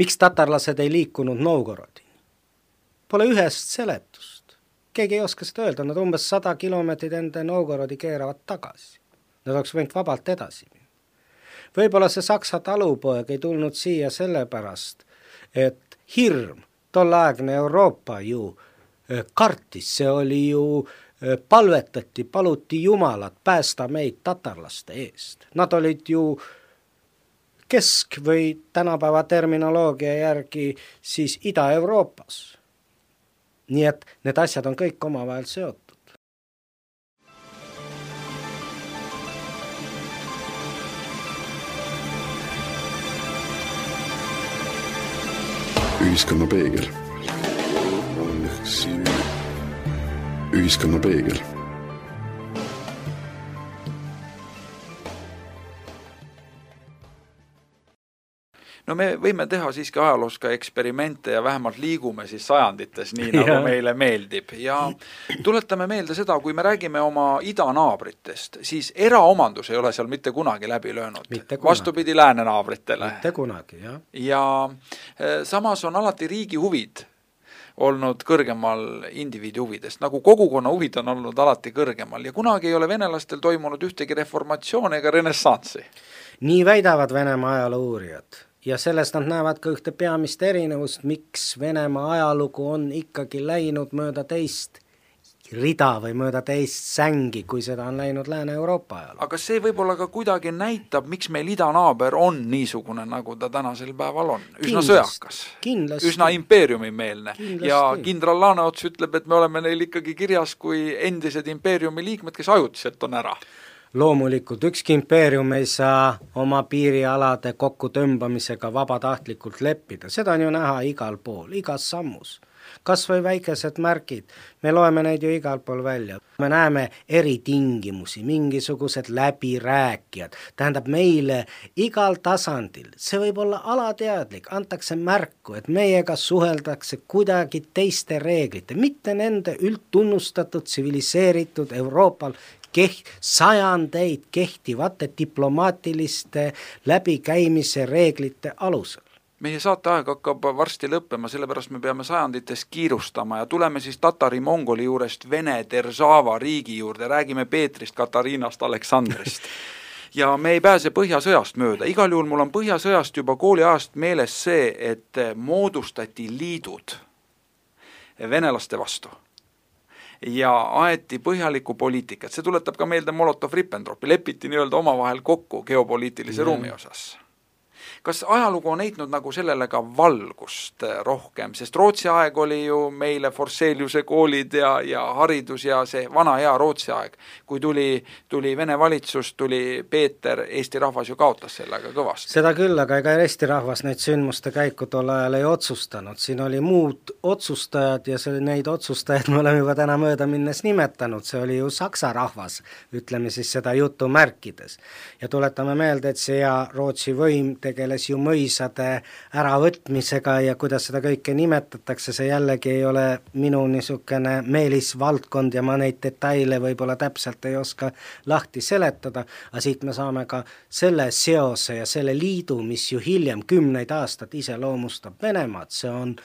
miks tatarlased ei liikunud Novgorodini. Pole ühest seletust. Keegi ei oska seda öelda, nad umbes 100 kilomeetrit enda Novgorodi keeravad tagasi. Nad oleks võinud vabalt edasi. Võib-olla see Saksa talupoeg ei tulnud siia sellepärast, et hirm, tolleaegne Euroopa ju kartis, see oli ju palvetati, paluti Jumalat päästa meid tatarlaste eest. Nad olid ju kesk- või tänapäeva terminoloogia järgi siis Ida-Euroopas. Nii et need asjad on kõik omavahel seotud. Ühiskonna peegel. Ühiskonna peegel. No me võime teha siiski ajaloos ka eksperimente ja vähemalt liigume siis sajandites, nii nagu meile meeldib. Ja tuletame meelde seda, kui me räägime oma idanaabritest, siis eraomandus ei ole seal mitte kunagi läbi löönud. Vastupidi läänenaabritele. Mitte kunagi, jah. Ja samas on alati riigi huvid olnud kõrgemal indiviidi huvidest, nagu kogukonna huvid on olnud alati kõrgemal ja kunagi ei ole venelastel toimunud ühtegi reformatsioon ega renessansi. Nii väidavad Venemaa ajaloo-uurijad ja sellest nad näevad ka ühte peamist erinevust, miks Venemaa ajalugu on ikkagi läinud mööda teist rida või mööda teist sängi, kui seda on läinud Lääne-Euroopa ajal. Aga see võib-olla ka kuidagi näitab, miks meil idanaaber on niisugune, nagu ta tänasel päeval on. Üsna sõjakas, üsna impeeriumimeelne. Ja kindral Laaneots ütleb, et me oleme neil ikkagi kirjas kui endised impeeriumi liikmed, kes ajutiselt on ära. Loomulikult, ükski impeerium ei saa oma piirialade kokku tõmbamisega vabatahtlikult leppida. Seda on ju näha igal pool, igas sammus. Kas või väikesed märgid, me loeme neid ju igal pool välja. Me näeme eritingimusi, mingisugused läbirääkijad. Tähendab meile igal tasandil, see võib olla alateadlik, antakse märku, et meiega suheldakse kuidagi teiste reeglite, mitte nende üldtunnustatud, tsiviliseeritud Euroopal sajandeid kehtivate diplomaatiliste läbikäimise reeglite alusel. Meie saateaeg hakkab varsti lõppema, sellepärast me peame sajandites kiirustama ja tuleme siis Tatari-Mongoli juurest Vene Deržava riigi juurde, räägime Peetrist, Katariinast, Aleksandrist. Ja me ei pääse Põhjasõjast mööda. Igal juhul mul on Põhjasõjast juba kooliajast meeles see, et moodustati liidud venelaste vastu ja aeti põhjaliku poliitikat. See tuletab ka meelde Molotov-Ribbentropi, lepiti nii-öelda omavahel kokku geopoliitilise ruumi osas. Kas ajalugu on heitnud nagu sellele ka valgust rohkem, sest Rootsi aeg oli ju meile Forseliuse koolid ja haridus ja see vana hea Rootsi aeg. Kui tuli Vene valitsus, tuli Peeter, Eesti rahvas ju kaotas sellega kõvasti. Seda küll, aga ega Eesti rahvas neid sündmuste käiku tol ajal ei otsustanud. Siin oli muud otsustajad ja neid otsustajaid me oleme juba täna mööda minnes nimetanud. See oli ju Saksa rahvas, ütleme siis seda jutu märkides. Ja tuletame meelde, et see Rootsi võim tegeles ju mõisade äravõtmisega ja kuidas seda kõike nimetatakse, see jällegi ei ole minu niisugune meelisvaldkond ja ma neid detaile võib-olla täpselt ei oska lahti seletada, aga siit me saame ka selle seose ja selle liidu, mis ju hiljem 10 aastat iseloomustab Venemaad, see on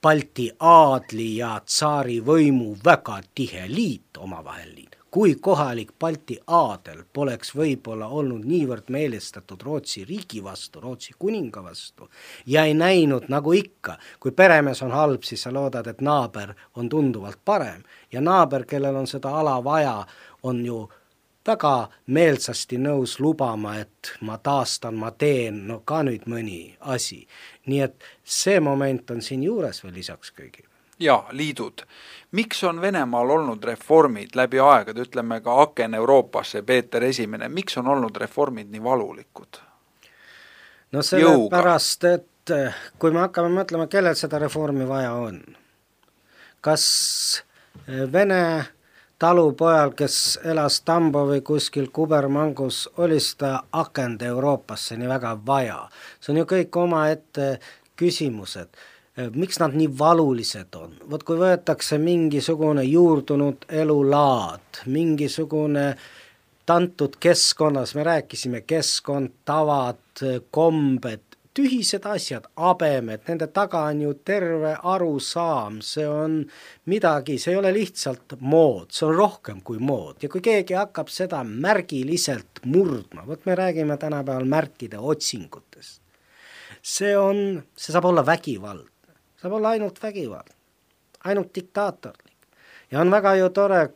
Balti aadli ja tsaari võimu väga tihe liit, omavahel liit. Kui kohalik Balti aadel poleks võib-olla olnud niivõrd meelestatud Rootsi riigi vastu, Rootsi kuninga vastu ja ei näinud nagu ikka, kui peremees on halb, siis sa loodad, et naaber on tunduvalt parem ja naaber, kellel on seda ala vaja, on ju väga meelsasti nõus lubama, et ma taastan, ma teen, ka nüüd mõni asi. Nii et see moment on siin juures veel lisaks kõigile. ja liidud. Miks on Venemaal olnud reformid läbi aegade, ütleme ka Aken Euroopasse, Peeter Esimene, miks on olnud reformid nii valulikud? No sellepärast, et kui me hakkame mõtlema, kellel seda reformi vaja on, kas Vene talupojal, kes elas Tambovi kuskil Kubermangus, oli seda akent Euroopasse nii väga vaja. See on ju kõik omaette küsimused. Miks nad nii valulised on? Vot kui võetakse mingisugune juurdunud elulaad, mingisugune tantud keskkonnas, me rääkisime keskkond, tavad, kombed, tühised asjad, abemed, nende taga on ju terve arusaam, see on midagi, see ei ole lihtsalt mood, see on rohkem kui mood. Ja kui keegi hakkab seda märgiliselt murdma, vot me räägime tänapäeval märkide otsingutest, see saab olla vägivald, saab olla ainult vägivald, ainult diktaatorlik. Ja on väga ju tore,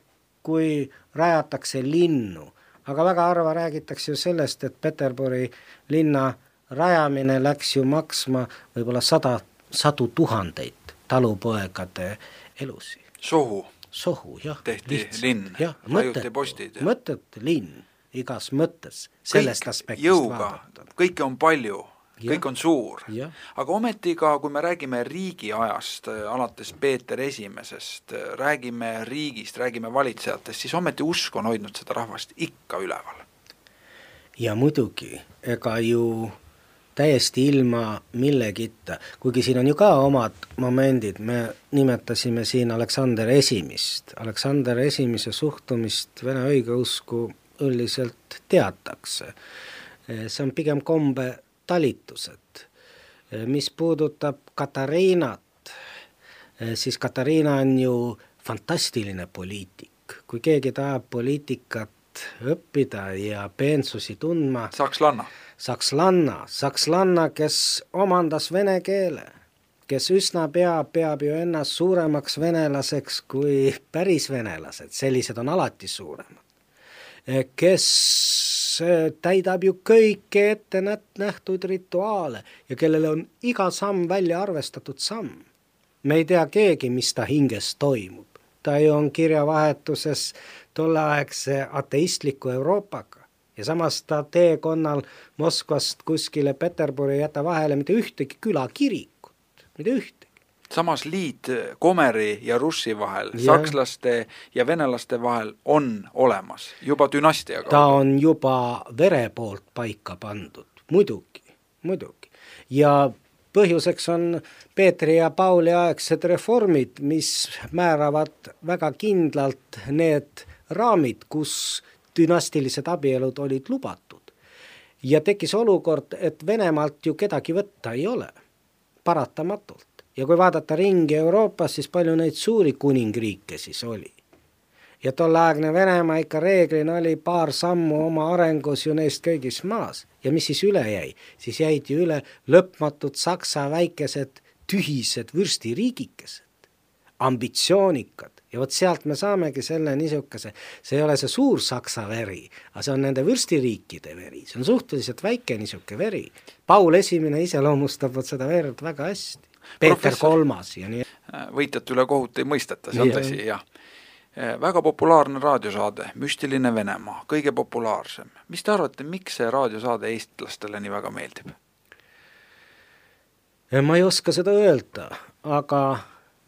kui rajatakse linnu, aga väga harva räägitakse ju sellest, et Peterburi linna rajamine läks ju maksma võib-olla sadu tuhandeid talupoegade elusi. Sohu, jah. Tehti linn, ajuti postid. Mõtted linn, igas mõttes, sellest aspektist jõuga, kõike on palju, kõik on suur. Aga ometi ka, kui me räägime riigi ajast, alates Peeter Esimesest, räägime riigist, räägime valitsejatest, siis ometi usk on hoidnud seda rahvast ikka üleval. Ja muidugi, ega ju täiesti ilma millegita, kuigi siin on ju ka omad momendid, me nimetasime siin Aleksander Esimest. Aleksander Esimese suhtumist Vene õigeusku üldiselt teatakse. See on pigem kombe talitused. Mis puudutab Katariinat, siis Katariina on ju fantastiline poliitik. Kui keegi tahab poliitikat õppida ja peensusi tundma. Sakslanna, kes omandas vene keele, kes üsna peab ju ennast suuremaks venelaseks kui päris venelased, sellised on alati suuremad, kes täidab ju kõike ette nähtud rituaale ja kellele on iga samm välja arvestatud samm. Me ei tea keegi, mis ta hinges toimub. Ta ju on kirjavahetuses tolleaegse ateistliku Euroopaga ja samas ta teekonnal Moskvast kuskile Peterburi jäta vahele mitte ühtegi külakirikut, mitte ühtegi. Samas liit Komeri ja Russi vahel, sakslaste ja venelaste vahel on olemas, juba dünastia kaudu. Ta on juba vere poolt paika pandud, muidugi. Ja põhjuseks on Peetri ja Pauli aegsed reformid, mis määravad väga kindlalt need raamid, kus dünastilised abielud olid lubatud. Ja tekkis olukord, et Venemaalt ju kedagi võtta ei ole, paratamatult. Ja kui vaadata ringi Euroopas, siis palju neid suuri kuningriike siis oli. Ja tolleaegne Venemaa ikka reeglina oli paar sammu oma arengus ju neist kõigis maas. Ja mis siis üle jäi? Siis jäid ju üle lõpmatud Saksa väikesed tühised vürstiriigikesed, ambitsioonikad. Ja vot sealt me saamegi selle niisuguse, see ei ole see suur Saksa veri, aga see on nende vürstiriikide veri, see on suhteliselt väike niisugune veri. Paul Esimene iseloomustab seda verd väga hästi. Peeter Kolmas ja nii. Võitjat üle kohut ei mõisteta, see on tõsi, jah. Väga populaarne raadiosaade, Müstiline Venemaa, kõige populaarsem. Mis te arvate, miks see raadiosaade eestlastele nii väga meeldib? Ma ei oska seda öelda, aga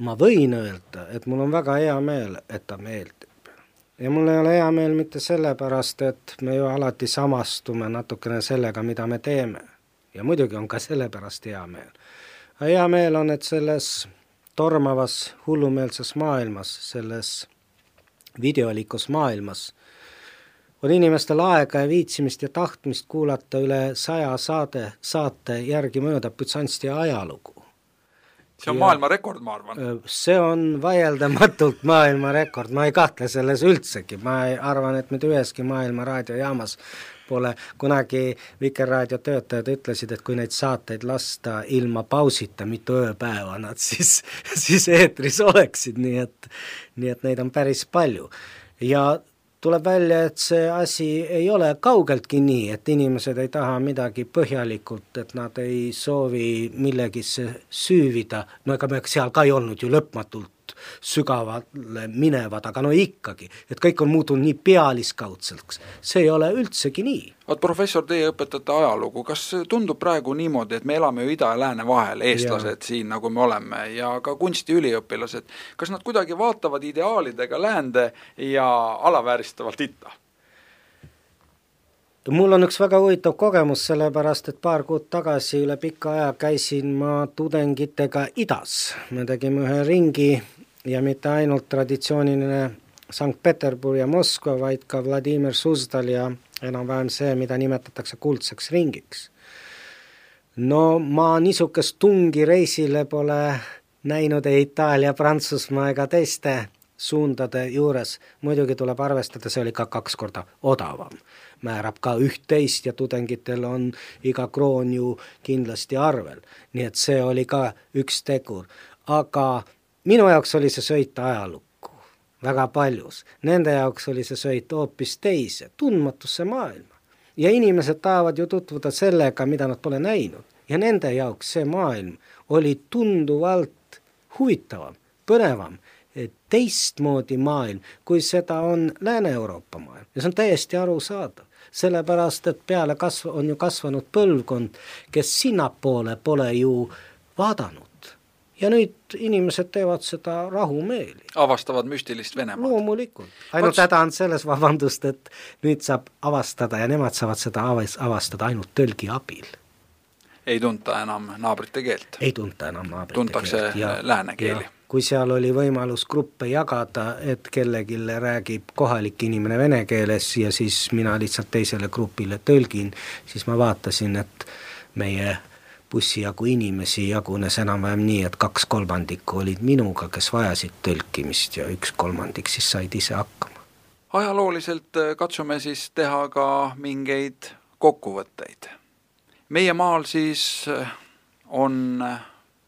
ma võin öelda, et mul on väga hea meel, et ta meeldib. Ja mul ei ole hea meel mitte sellepärast, et me ju alati samastume natukene sellega, mida me teeme. Ja muidugi on ka sellepärast hea meel. Hea meel on, et selles tormavas hullumeelses maailmas, selles videolikus maailmas on inimestel aega ja viitsimist ja tahtmist kuulata üle 100 saate järgi mööda Bütsansti ajalugu. See on maailmarekord, ma arvan. See on vaieldamatult maailmarekord, ma ei kahtle selles üldsegi. Ma arvan, et mitte üheski maailma raadiojaamas pole kunagi Vikerraadio töötajad ütlesid, et kui neid saateid lasta ilma pausita mitu ööpäeva nad siis eetris oleksid, nii et neid on päris palju. Ja tuleb välja, et see asi ei ole kaugeltki nii, et inimesed ei taha midagi põhjalikult, et nad ei soovi millegisse süüvida, no ega me seal ka ei olnud ju lõpmatult sügavale minevad, aga no ikkagi, et kõik on muutunud nii pealiskaudseks, see ei ole üldsegi nii. Vaat professor, teie õpetate ajalugu, kas tundub praegu niimoodi, et me elame ju ida ja lääne vahel, eestlased siin nagu me oleme ja ka kunstiüliõpilased, kas nad kuidagi vaatavad ideaalidega läände ja alavääristavalt itta? Mul on üks väga huvitav kogemus, sellepärast, et paar kuud tagasi üle pika aja käisin ma tudengitega idas. Me tegime ühe ringi ja mitte ainult traditsiooniline Sankt-Peterburi ja Moskva, vaid ka Vladimir Suzdal ja enam-vähem see, mida nimetatakse kuldseks ringiks. No ma niisugust tungi reisile pole näinud ei Itaalia, Prantsusmaa ega teiste suundade juures. Muidugi tuleb arvestada, see oli ka 2 korda odavam. Määrab ka 11 ja tudengitel on iga kroon ju kindlasti arvel. Nii et see oli ka üks tegur. Aga minu jaoks oli see sõit ajalukku väga paljus. Nende jaoks oli see sõit hoopis teise, tundmatusse maailma. Ja inimesed tahavad ju tutvuda sellega, mida nad pole näinud. Ja nende jaoks see maailm oli tunduvalt huvitavam, põnevam, teistmoodi maailm, kui seda on Lääne-Euroopa maailm. Ja see on täiesti arusaadav. Sellepärast, et peale on ju kasvanud põlvkond, kes sinnapoole pole ju vaadanud. Ja nüüd inimesed teevad seda rahumeeli. Avastavad müstilist Venemaad. Loomulikult. Ainult häda on selles, vabandust, et nüüd saab avastada ja nemad saavad seda avastada ainult tõlgi abil. Ei tunta enam naabrite keelt. Ei tunta enam naabrite Tuntakse keelt. Tuntakse lääne keeli. Kui seal oli võimalus gruppe jagada, et kellegile räägib kohalik inimene vene keeles ja siis mina lihtsalt teisele grupile tõlgin, siis ma vaatasin, et meie bussijagu inimesi jagunes enam-vähem nii, et 2/3 olid minuga, kes vajasid tõlkimist ja 1/3 siis said ise hakkama. Ajalooliselt katsume siis teha ka mingeid kokkuvõtteid. Meie maal siis on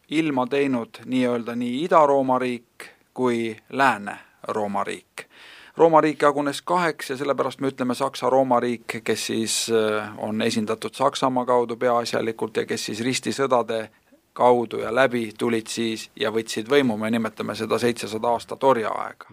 ilma teinud nii-öelda nii Ida-Rooma riik kui Lääne-Rooma riik. Rooma riik jagunes 2 ja sellepärast me ütleme Saksa-Rooma riik, kes siis on esindatud Saksamaa kaudu peaasjalikult ja kes siis ristisõdade kaudu ja läbi tulid siis ja võtsid võimu, me nimetame seda 700 aastat orjaaega.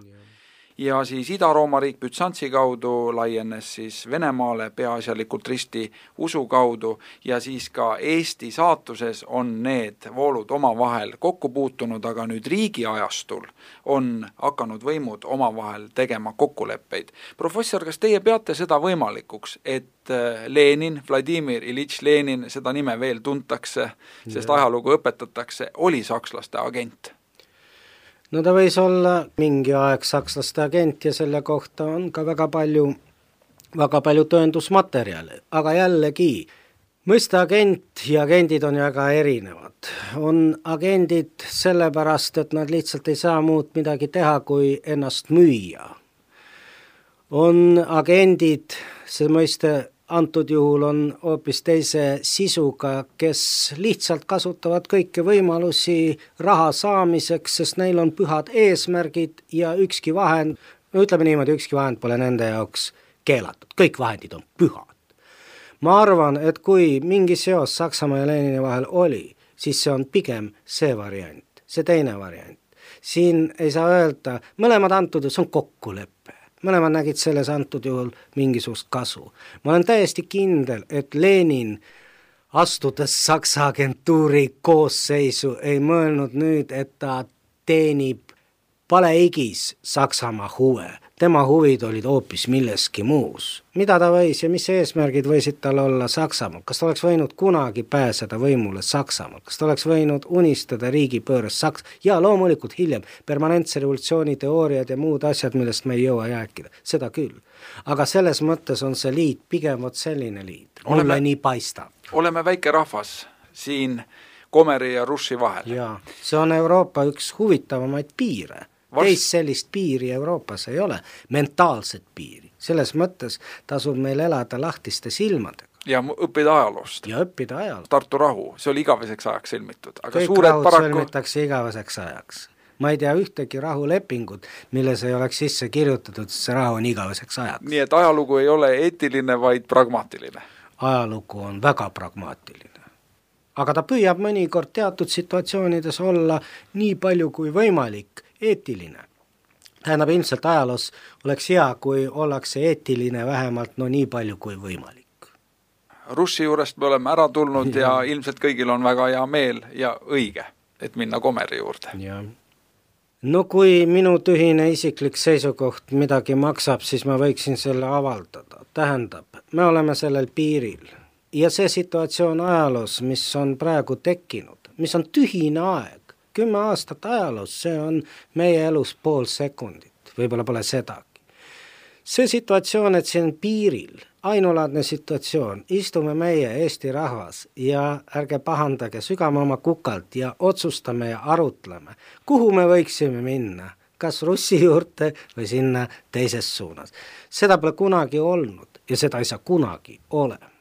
Ja siis Ida-Rooma riik Bütsantsi kaudu laienes siis Venemaale peaasjalikult risti usu kaudu ja siis ka Eesti saatuses on need voolud omavahel kokku puutunud, aga nüüd riigi ajastul on hakanud võimud omavahel tegema kokkuleppeid. Professor, kas teie peate seda võimalikuks, et Lenin, Vladimir Ilitš Lenin, seda nime veel tuntakse, sest ajalugu õpetatakse, oli sakslaste agent? No ta võis olla mingi aeg sakslaste agent ja selle kohta on ka väga palju tõendusmaterjale, aga jällegi, mõista agent ja agendid on väga erinevad. On agendid sellepärast, et nad lihtsalt ei saa muud midagi teha, kui ennast müüa. On agendid, see mõiste antud juhul on hoopis teise sisuga, kes lihtsalt kasutavad kõiki võimalusi raha saamiseks, sest neil on pühad eesmärgid ja ükski vahend, no ütleme niimoodi, ükski vahend pole nende jaoks keelatud, kõik vahendid on pühad. Ma arvan, et kui mingi seos Saksamaa ja Lenini vahel oli, siis see on pigem see variant, see teine variant. Siin ei saa öelda, mõlemad antud, see on kokkulepe. Mõlemad nägid selles antud juhul mingisugust kasu. Ma olen täiesti kindel, et Lenin astudes Saksa agentuuri koosseisu ei mõelnud nüüd, et ta teenib paleigis Saksamaa huve. Tema huvid olid hoopis milleski muus. Mida ta võis ja mis eesmärgid võisid tal olla Saksamaal? Kas ta oleks võinud kunagi pääseda võimule Saksamaal? Kas ta oleks võinud unistada riigipööres ja loomulikult hiljem permanentse revolutsiooni teooriad ja muud asjad, millest me ei jõua rääkida. Seda küll. Aga selles mõttes on see liit pigem selline liit. Mulle nii paistab. Oleme väike rahvas siin Komeri ja Russi vahel. Ja, see on Euroopa üks huvitavamaid piire. Teist sellist piiri Euroopas ei ole, mentaalset piiri. Selles mõttes tasub meil elada lahtiste silmadega. Ja õppida ajaloost. Ja õppida ajaloost. Tartu rahu, see oli igaveseks ajaks sõlmitud. Aga kõik suured rahud sõlmitakse igaveseks ajaks. ma ei tea ühtegi rahulepingut, milles ei oleks sisse kirjutatud, et see rahu on igaveseks ajaks. Nii et ajalugu ei ole eetiline, vaid pragmaatiline? Ajalugu on väga pragmaatiline. Aga ta püüab mõnikord teatud situatsioonides olla nii palju kui võimalik eetiline. Tähendab, ilmselt ajaloos oleks hea, kui ollakse eetiline vähemalt nii palju kui võimalik. Russi juurest me oleme ära tulnud ja ilmselt kõigil on väga hea meel ja õige, et minna Komeri juurde. Ja. No kui minu tühine isiklik seisukoht midagi maksab, siis ma võiksin selle avaldada. Tähendab, me oleme sellel piiril ja see situatsioon ajaloos, mis on praegu tekkinud, mis on tühine aeg, 10 aastat ajaloos, see on meie elus pool sekundit, võib-olla pole sedagi. See situatsioon, et siin piiril, ainulaadne situatsioon, istume meie Eesti rahvas ja ärge pahandage, sügame oma kukalt ja otsustame ja arutleme, kuhu me võiksime minna, kas Russi juurde või sinna teises suunas. Seda pole kunagi olnud ja seda ei saa kunagi olema.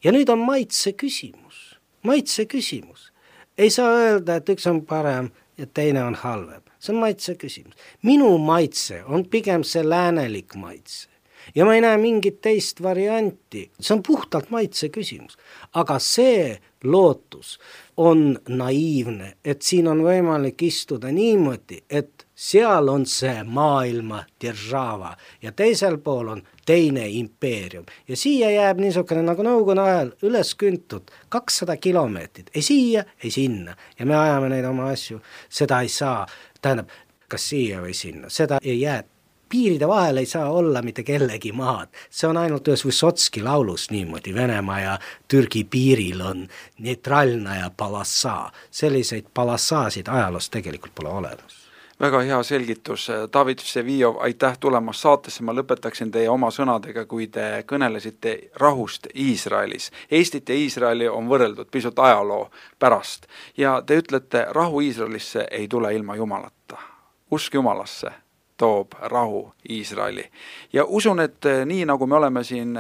Ja nüüd on maitse küsimus. Maitse küsimus. Ei saa öelda, et üks on parem ja teine on halvem. See on maitse küsimus. Minu maitse on pigem see läänelik maitse. Ja ma ei näe mingit teist varianti. See on puhtalt maitse küsimus. Aga see lootus on naiivne, et siin on võimalik istuda niimoodi, et seal on see maailma держава ja teisel pool on teine impeerium. Ja siia jääb niisugune nagu nõukogude ajal üles küntud 200 kilomeetrit. Ei siia, ei sinna. Ja me ajame neid oma asju. Seda ei saa, tähendab, kas siia või sinna. Seda ei jää. Piiride vahel ei saa olla mitte kellegi maad. See on ainult ühes Vysotski laulus niimoodi. Venemaa ja Türgi piiril on neutralna ja palassa. Selliseid palassaasid ajaloos tegelikult pole olemas. Väga hea selgitus. David Vseviov, aitäh tulemast saatesse. Ma lõpetaksin teie oma sõnadega, kui te kõnelesite rahust Iisraelis. Eestit ja Iisraeli on võrreldud pisut ajaloo pärast. Ja te ütlete, rahu Iisraelisse ei tule ilma Jumalata. Usk Jumalasse toob rahu Iisraeli. Ja usun, et nii nagu me oleme siin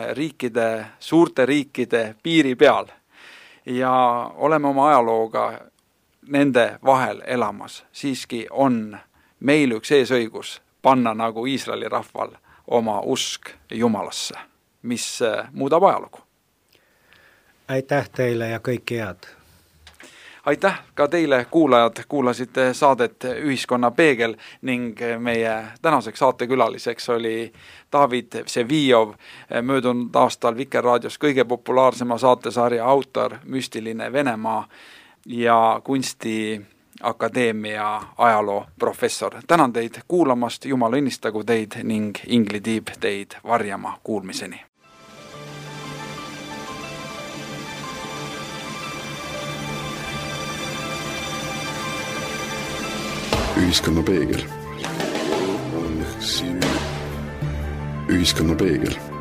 suurte riikide piiri peal ja oleme oma ajalooga nende vahel elamas, siiski on meil üks eesõigus panna nagu Iisraeli rahval oma usk Jumalasse, mis muudab ajalugu. Aitäh teile ja kõike head! Aitäh ka teile, kuulajad, kuulasite saadet Ühiskonna peegel ning meie tänaseks saatekülaliseks oli David Vseviov, möödunud aastal Vikerraadios kõige populaarsema saatesarja autor, müstiline Venemaa ja kunstiakadeemia ajaloo professor. Tänan teid kuulamast, Jumal õnnistagu teid ning Ingli Tiib teid varjama kuulmiseni. Ühiskonna peegel. Ühiskonna peegel.